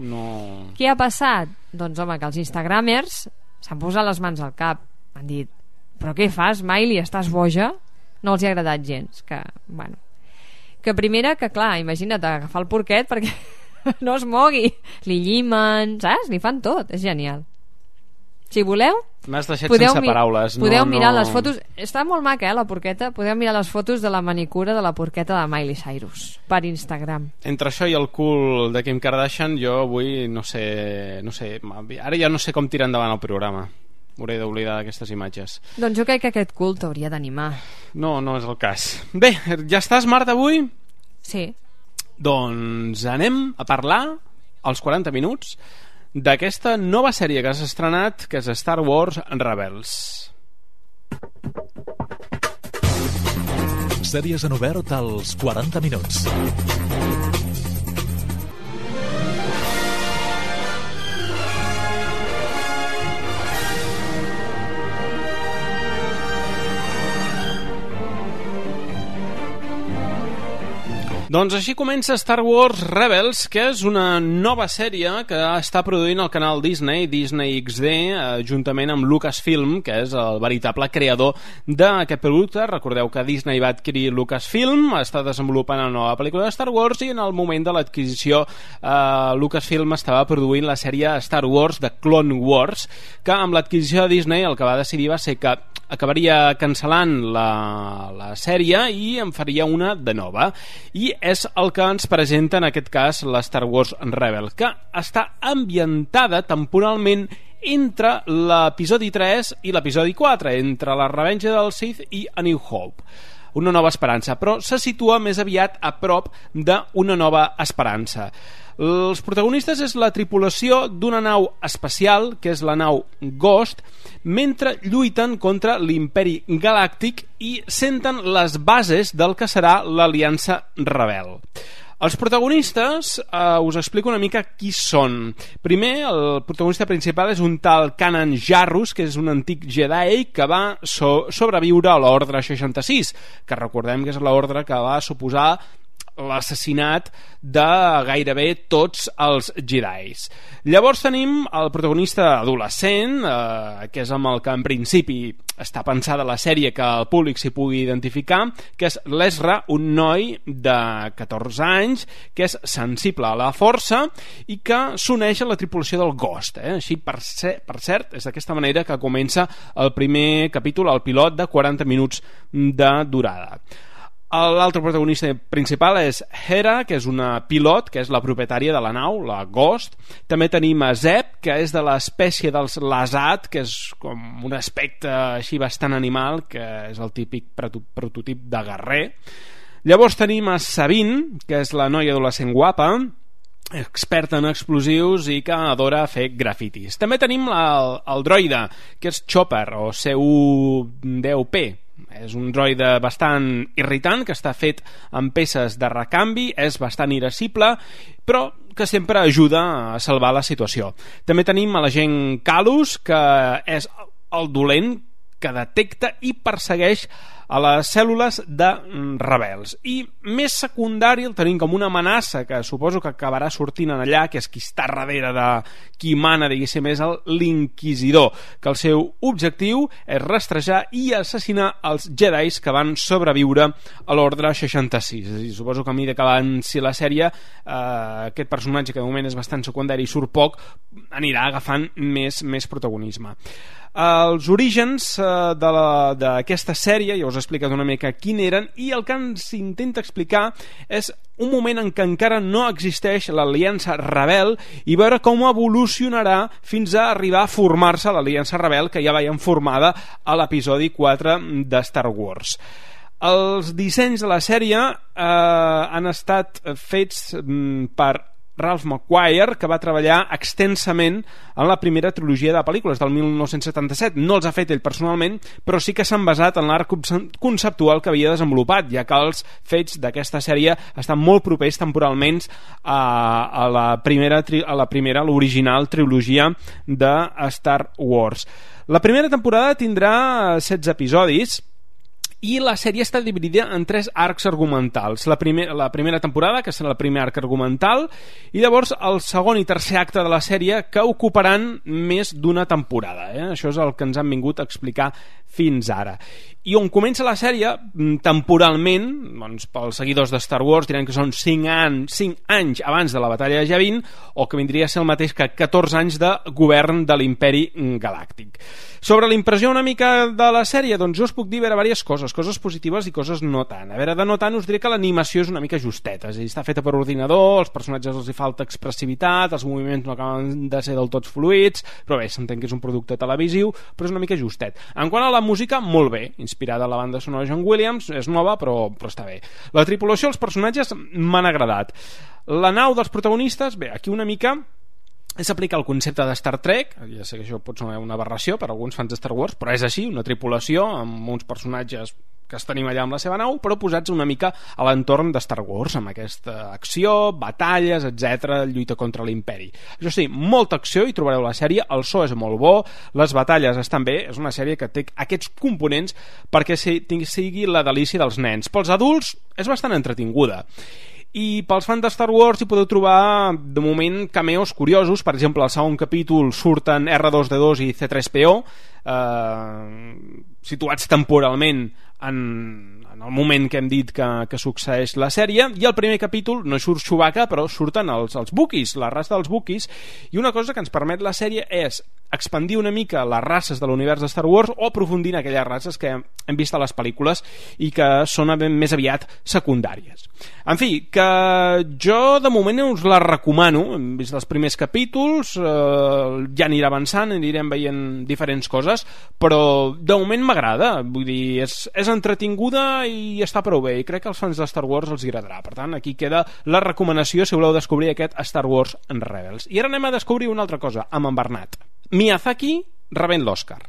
Què ha passat? Doncs home, que els instagramers s'han posat les mans al cap, han dit, però què fas, Miley, estàs boja? No els hi ha agradat gens, que primera, que clar, imagina't agafar el porquet perquè no es mogui, li llimen, saps? Li fan tot, és genial. Si voleu, m'has deixat sense paraules. Podeu mirar les fotos, està molt maca, la porqueta. Podeu mirar les fotos de la manicura de la porqueta de Miley Cyrus per Instagram. Entre això i el cul de Kim Kardashian, jo avui no sé, ara ja no sé com tirar endavant el programa. M'hauré d'oblidar d'aquestes imatges. Doncs jo crec que aquest cul t'hauria d'animar. No és el cas. Bé, ja estàs, Marta, avui? Sí. Doncs anem a parlar als 40 minuts d'aquesta nova sèrie que has estrenat, que és Star Wars Rebels. Sèries en obert als 40 minuts. Doncs així comença Star Wars Rebels, que és una nova sèrie que està produint el canal Disney XD, juntament amb Lucasfilm, que és el veritable creador d'aquest producte. Recordeu que Disney va adquirir Lucasfilm, està desenvolupant una nova pel·lícula de Star Wars, i en el moment de l'adquisició Lucasfilm estava produint la sèrie Star Wars de Clone Wars, que amb l'adquisició de Disney el que va decidir va ser que acabaria cancel·lant la sèrie i en faria una de nova, i és el que ens presenta en aquest cas la Star Wars Rebels, que està ambientada temporalment entre l'episodi 3 i l'episodi 4, entre la Revenja del Sith i A New Hope. Una nova esperança, però se situa més aviat a prop d'Una nova esperança. Els protagonistes és la tripulació d'una nau espacial, que és la nau Ghost, mentre lluiten contra l'Imperi Galàctic i senten les bases del que serà l'Aliança Rebel. Els protagonistes, us explico una mica qui són. Primer, el protagonista principal és un tal Kanan Jarrus, que és un antic Jedi que va sobreviure a l'Ordre 66, que recordem que és l'ordre que va suposar l'assassinat de gairebé tots els Jedis. Llavors tenim el protagonista adolescent, que és amb el que en principi està pensada la sèrie que el públic s'hi pugui identificar, que és l'Ezra, un noi de 14 anys que és sensible a la força i que s'uneix a la tripulació del Ghost. Així, per cert, és d'aquesta manera que comença el primer capítol, el pilot de 40 minuts de durada. L'altre protagonista principal és Hera, que és una pilot, que és la propietària de la nau, la Ghost. També tenim a Zeb, que és de l'espècie dels Lasat, que és com un aspecte així bastant animal, que és el típic prototip de guerrer. Llavors tenim a Sabine, que és la noia adolescent guapa, experta en explosius i que adora fer grafitis. També tenim el droide, que és Chopper, o C-U-10P. És un droide bastant irritant, que està fet amb peces de recanvi, és bastant irascible, però que sempre ajuda a salvar la situació. També tenim a l'agent Kalus, que és el dolent que detecta i persegueix a les cèl·lules de rebels. I més secundari el tenim com una amenaça que suposo que acabarà sortint en allà, que és qui està darrere de qui mana, diguéssim, és l'Inquisidor, que el seu objectiu és rastrejar i assassinar els Jedis que van sobreviure a l'Ordre 66. I suposo que a mesura que avanci la sèrie, aquest personatge, que de moment és bastant secundari i surt poc, anirà agafant més protagonisme. Els orígens d'aquesta sèrie, ja us he explicat una mica quin eren, i el que ens intenta explicar és un moment en què encara no existeix l'Aliança Rebel i veure com evolucionarà fins a arribar a formar-se l'Aliança Rebel que ja veiem formada a l'episodi 4 de Star Wars. Els dissenys de la sèrie han estat fets per Ralph McQuire, que va treballar extensament en la primera trilogia de pel·lícules del 1977. No els ha fet ell personalment, però sí que s'han basat en l'art conceptual que havia desenvolupat, ja que els fets d'aquesta sèrie estan molt propers temporalment a l'original trilogia de Star Wars. La primera temporada tindrà 16 episodis, i la sèrie està dividida en 3 arcs argumentals. La primera temporada, que serà el primer arc argumental, i llavors el segon i tercer acte de la sèrie, que ocuparan més d'una temporada. Això és el que ens han vingut a explicar fins ara. I on comença la sèrie, temporalment, doncs, pels seguidors de Star Wars diran que són 5 anys abans de la batalla de Yavin, o que vindria a ser el mateix que 14 anys de govern de l'Imperi Galàctic. Sobre la impressió una mica de la sèrie, doncs jo us puc dir diverses coses positives i coses no tant. A veure, de no tant us diré que l'animació és una mica justeta, és a dir, està feta per ordinador, els personatges els hi falta expressivitat, els moviments no acaben de ser del tot fluids, però bé, s'entén que és un producte televisiu, però és una mica justet. En quant a la música, molt bé, inspirada a la banda sonora de John Williams, és nova, però està bé. La tripulació, els personatges m'han agradat. La nau dels protagonistes, bé, aquí una mica és aplicar el concepte de Star Trek. Ja sé que això pot ser una aberració per a alguns fans de Star Wars, però és així, una tripulació amb uns personatges que es tenim allà amb la seva nau, però posats una mica a l'entorn de Star Wars, amb aquesta acció, batalles, etc, lluita contra l'imperi. Això sí, molta acció, hi trobareu la sèrie, el so és molt bo, les batalles estan bé, és una sèrie que té aquests components perquè sigui la delícia dels nens. Pels adults és bastant entretinguda. I pels fans de Star Wars hi podeu trobar de moment cameos curiosos. Per exemple, al segon capítol surten R2D2 i C3PO, situats temporalment en el moment que hem dit que succeeix la sèrie, i al primer capítol no surt Chewbacca, però surten els Wookiees, la raça dels Wookiees, i una cosa que ens permet la sèrie és expandir una mica les races de l'univers de Star Wars o aprofundir en aquelles races que hem vist a les pel·lícules i que són més aviat secundàries. En fi, que jo de moment us la recomano. Hem vist els primers capítols, ja anirà avançant, anirem veient diferents coses, però de moment m'agrada, vull dir, és entretinguda i està prou bé, i crec que als fans de Star Wars els agradarà. Per tant, aquí queda la recomanació si voleu descobrir aquest Star Wars en Rebels. I ara anem a descobrir una altra cosa, amb en Bernat. Miyazaki rebent l'Oscar.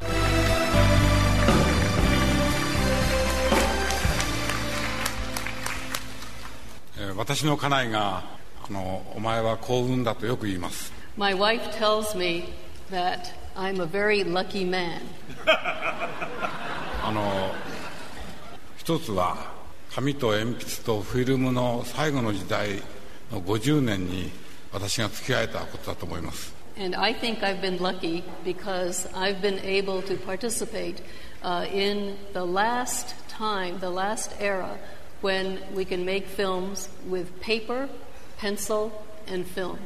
My wife tells me that I'm a very lucky man. 一つは紙と鉛筆とフィルムの最後の時代の50年に私が付き合えたことだと思います。 And I think I've been lucky because I've been able to participate in the last time, the last era when we can make films with paper, pencil and film.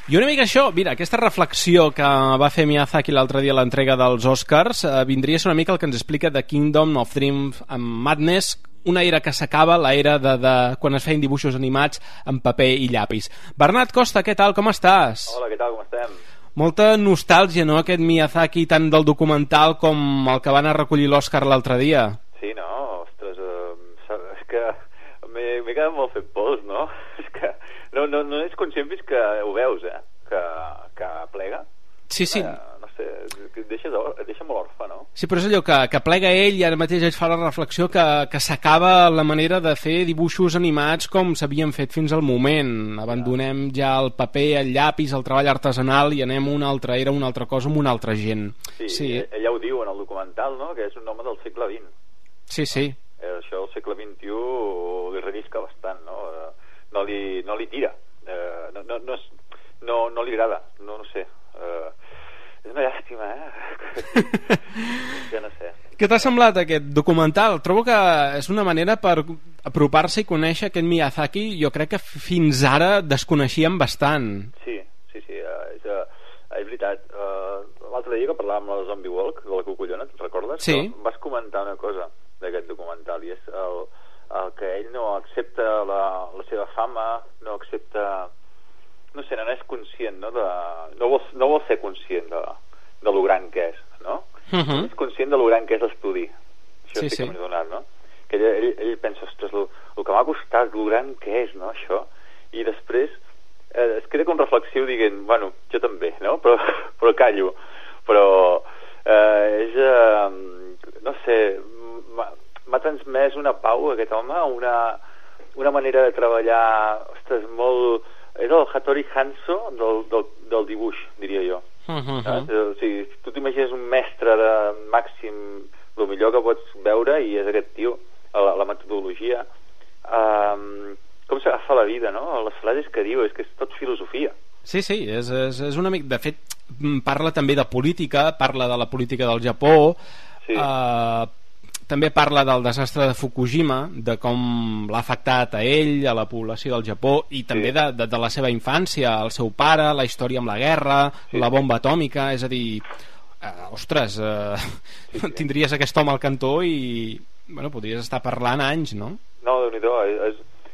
I una mica això, mira, aquesta reflexió que va fer Miyazaki l'altre dia a l'entrega dels Oscars vindria a ser una mica el que ens explica The Kingdom of Dreams and Madness, una era que s'acaba, la era de quan es feien dibuixos animats en paper i llapis. Bernat Costa, què tal, com estàs? Hola, què tal, com estem? Molta nostàlgia, no?, aquest Miyazaki tant del documental com el que van a recollir l'Oscar l'altre dia. Sí, no? Ostres, és que m'he quedat molt fet pols, no? És que no ets conscient fins que ho veus, que plega. Sí, sí. No sé, et deixa molt orfe, no? Sí, però és allò que plega ell i ara mateix ell fa la reflexió que s'acaba la manera de fer dibuixos animats com s'havien fet fins al moment. Abandonem ja el paper, el llapis, el treball artesanal i anem a una altra era, una altra cosa, amb una altra gent. Sí, ella ho diu en el documental, no?, que és un home del segle XX. Sí, sí. Això al segle XXI li rellisca bastant, no? No li tira. No li agrada. No sé. És una llàstima, Ja no sé. Què t'ha semblat aquest documental? Trobo que és una manera per apropar-se i conèixer aquest Miyazaki, jo crec que fins ara desconeixíem bastant. Sí, és veritat. L'altre dia que parlàvem de la Zombie Walk, de la Cocollona, te'n recordes? Sí. Vas comentar una cosa d'aquest documental, i és el que ell no accepta la seva fama, no accepta... No sé, no és conscient, no? No vol ser conscient de lo gran que és, no? És conscient de lo gran que és l'estudi. Això sí que m'he donat, no? Que ell pensa, ostres, el que m'ha costat, lo gran que és, no, això? I després es queda com reflexiu dient, bueno, jo també, no? Però callo. Però és... no sé, m'ha transmès una pau, aquest home, una manera de treballar, ostres, molt... És el Hattori Hanzo del dibuix, diria jo. O sigui, tu t'imagines un mestre de màxim, el millor que pots veure, i és aquest tio, la metodologia, com s'agafa la vida, no? Les frases que diu, és que és tot filosofia. Sí, és una mica... De fet, parla també de política, parla de la política del Japó, també parla del desastre de Fukushima, de com l'ha afectat a ell, a la població del Japó, i també de la seva infància, el seu pare, la història amb la guerra, la bomba atòmica, és a dir, ostres, tindries aquest home al cantó i bueno, podries estar parlant anys, no? No, Déu-n'hi-do,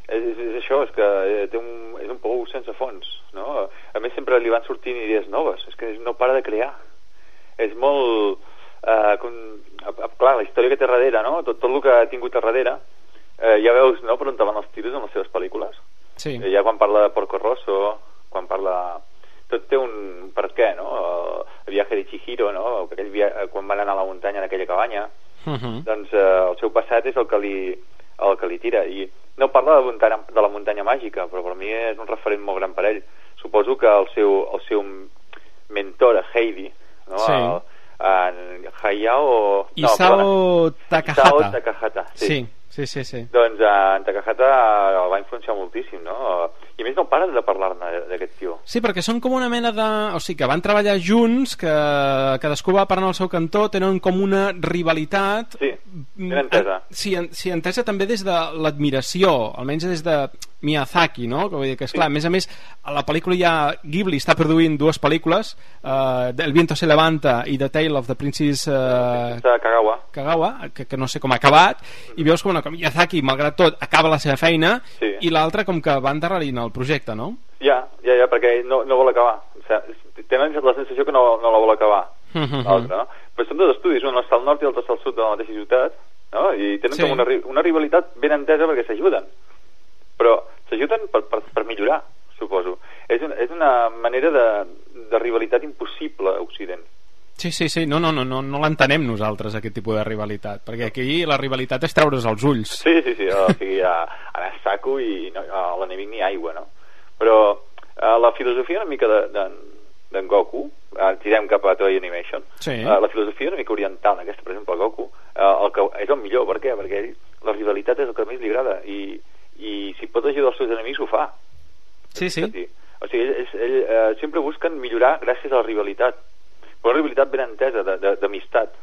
és això, és que és un pou sense fons, no? A més sempre li van sortint idees noves, és que no para de crear, és molt... clar, la història que té darrere, no? Tot el que ha tingut a darrere, ja veus, no?, per on van els tiros en les seves pel·lícules. Sí. Ja quan parla de Porco Rosso, quan parla... Tot té un per què, no? El viatge de Chihiro, no? Quan van anar a la muntanya en aquella cabanya, doncs el seu passat és el que li tira. I no parla de la muntanya màgica, però per mi és un referent molt gran per ell. Suposo que el seu mentor, Heidi, no? Sí. Isao Takahata. Sí. Doncs en Takahata el va influenciar moltíssim, no? I a més no pares de parlar-ne d'aquest tio. Sí, perquè són com una mena de... O sigui, que van treballar junts, que cadascú va parlar al seu cantó, tenen com una rivalitat... Sí, ben entesa. Sí, entesa també des de l'admiració, almenys des de Miyazaki, no? Que vull dir que, esclar, a més, a la pel·lícula ja Ghibli està produint dues pel·lícules, El viento se levanta i The Tale of the Princess Kagawa, que no sé com ha acabat, i veus com Miyazaki, malgrat tot, acaba la seva feina, i l'altre com que va endarrerint el projecte, no? Ja, perquè no vol acabar. O sigui, tenen la sensació que no la vol acabar. l'altre, no? Però són dos estudis, un està al nord i l'altre està al sud de la mateixa ciutat, no? I tenen com una rivalitat ben entesa perquè s'ajuden. Però s'ajuden per millorar, suposo. És una manera de rivalitat impossible a Occident. Sí, no l'entenem nosaltres, aquest tipus de rivalitat, perquè aquí la rivalitat és treure's els ulls. Sí, o sigui, anar a saco i a l'enemic ni aigua, no? Però la filosofia una mica d'en Goku, tirem cap a Toei Animation, la filosofia una mica oriental, aquesta, per exemple, Goku, el que és el millor, per què? Perquè ell, la rivalitat és el que més li agrada, i si pot ajudar els seus enemics ho fa. Sí. O sigui, ell sempre busquen millorar gràcies a la rivalitat, però una rivalitat ben entesa, d'amistat,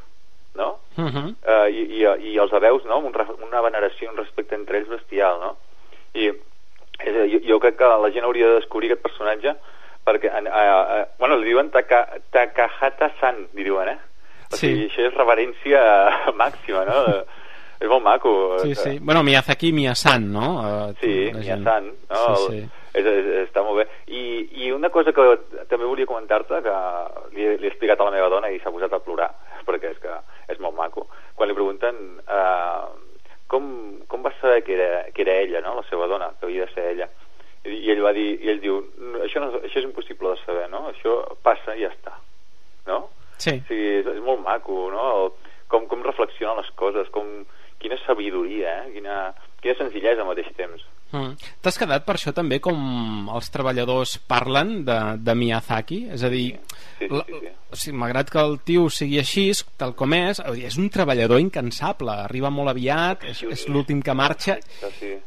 no? I els hebeus, no? Una veneració, un respecte entre ells bestial, no? I jo crec que la gent hauria de descobrir aquest personatge perquè, li diuen Takahata-san, li diuen, O sigui, això és reverència màxima, no? És molt maco. Sí. Bueno, Miyazaki-Miya-san, no? Sí, Miya-san, no? Sí. Està molt bé. I una cosa que també volia comentar-te, que li he explicat a la meva dona i s'ha posat a plorar, perquè és molt maco. Quan li pregunten com va saber que era ella, no? La seva dona, que havia de ser ella. I ell diu, això és impossible de saber, no? Això passa i ja està, no? Sí. O sigui, és molt maco, no? Com reflexionen les coses, quina sabidoria, quina senzillesa al mateix temps. T'has quedat per això també com els treballadors parlen de Miyazaki? És a dir, sí. Malgrat que el tio sigui així, tal com és un treballador incansable, arriba molt aviat, és l'últim que marxa,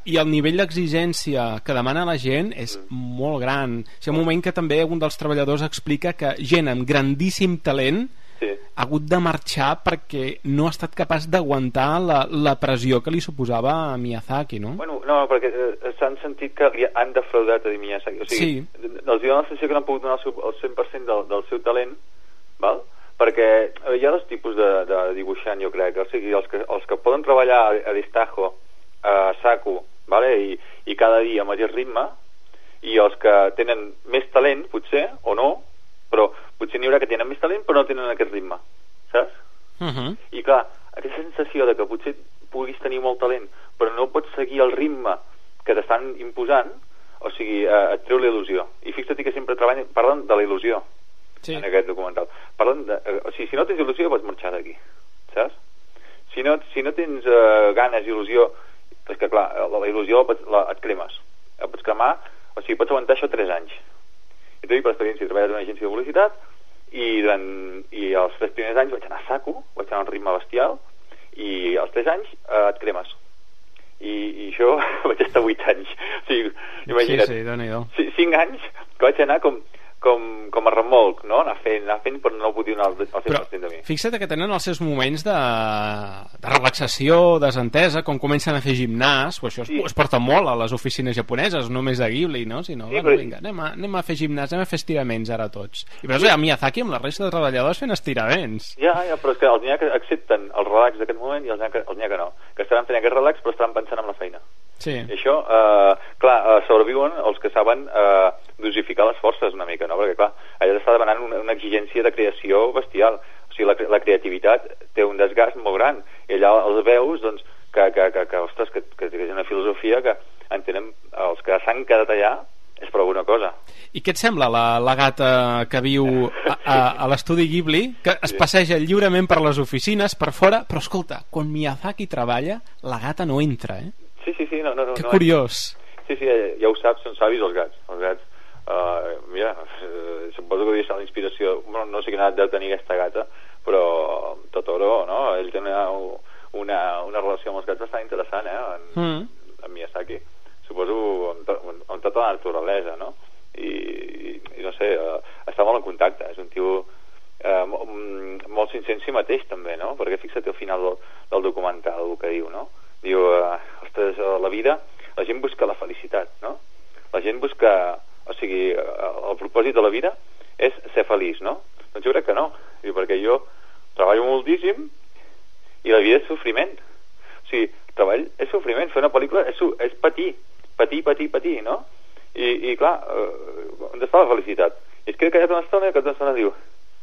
i el nivell d'exigència que demana la gent és molt gran. Hi ha un moment que també un dels treballadors explica que gent amb grandíssim talent ha hagut de marxar perquè no ha estat capaç d'aguantar la pressió que li suposava a Miyazaki, no? Bueno, no, perquè s'han sentit que li han defraudat a Miyazaki, o sigui, els diuen la sensació que no han pogut donar el 100% del seu talent, val? Perquè hi ha dos tipus de dibuixant, jo crec, o sigui, els que poden treballar a destajo, a saco, vale? I cada dia al mateix ritme, i els que tenen més talent, potser, o no, però potser n'hi haurà que tenen més talent però no tenen aquest ritme, saps? I clar, aquesta sensació de que potser puguis tenir molt talent però no pots seguir el ritme que t'estan imposant, o sigui, et treu la il·lusió. I fixa't que sempre parlen de la il·lusió en aquest documental. O sigui, si no tens il·lusió pots marxar d'aquí, saps? Si no tens ganes, il·lusió, és que clar, la il·lusió et cremes, et pots cremar, o sigui, pots aguantar això 3 anys. I t'ho dic per experiència, he treballat en una agència de publicitat i els 3 primers anys vaig anar a saco, vaig anar a un ritme bestial, i als 3 anys et cremes. I això vaig estar 8 anys. O sigui, imagina't, sí, Déu-n'hi-do. 5 anys que vaig anar com a remolc, no? Anar fent però no podia donar el 100% de mi. Fixa't que tenen els seus moments de relaxació, desentesa, com comencen a fer gimnàs, o això es porta molt a les oficines japoneses, no només de Ghibli, no? Sinó, vinga, anem a fer gimnàs, anem a fer estiraments ara tots. I veus a Miyazaki amb la resta de treballadors fent estiraments. Ja, però és que els n'hi ha que accepten el relax d'aquest moment i els n'hi ha que no, que estaran fent aquest relax però estaran pensant en la feina. Sí. I això, clar, sobreviuen els que saben dosificar les forces una mica, no? Perquè clar, allà t'està demanant una exigència de creació bestial, o sigui, la creativitat té un desgast molt gran, i allà els veus, doncs, ostres, que és una filosofia que entenen els que s'han quedat allà és per alguna cosa. I què et sembla la gata que viu a l'estudi Ghibli, que es passeja lliurement per les oficines, per fora, però escolta, quan Miyazaki treballa, la gata no entra, eh? Sí, no. Que curiós. Sí, ja ho saps, són savis els gats. Els gats, mira, suposo que devia ser la inspiració, no sé quina edat deu tenir aquesta gata, però Totoro, no? Ell té una relació amb els gats bastant interessant, amb Miyazaki. Suposo amb tota la naturalesa, no? I no sé, està molt en contacte, és un tio molt sincer en si mateix també, no? Perquè fixa't al final del documental el que diu, no? Diu, ostres, la vida, la gent busca la felicitat, no? La gent busca, o sigui, el propòsit de la vida és ser feliç, no? Doncs jo crec que no, perquè jo treballo moltíssim i la vida és sofriment. O sigui, treball és sofriment, fer una pel·lícula és patir, no? I clar, on està la felicitat? I es queda callat una estona i que una estona diu,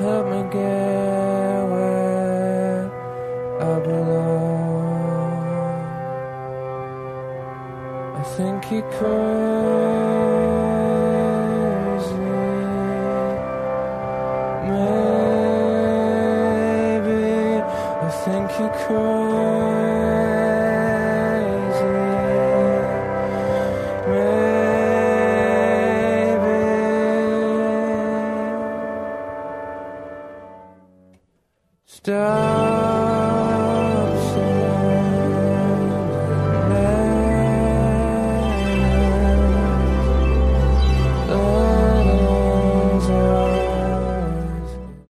help me get where I belong. I think you're crazy, maybe. I think you're crazy, maybe. Stop.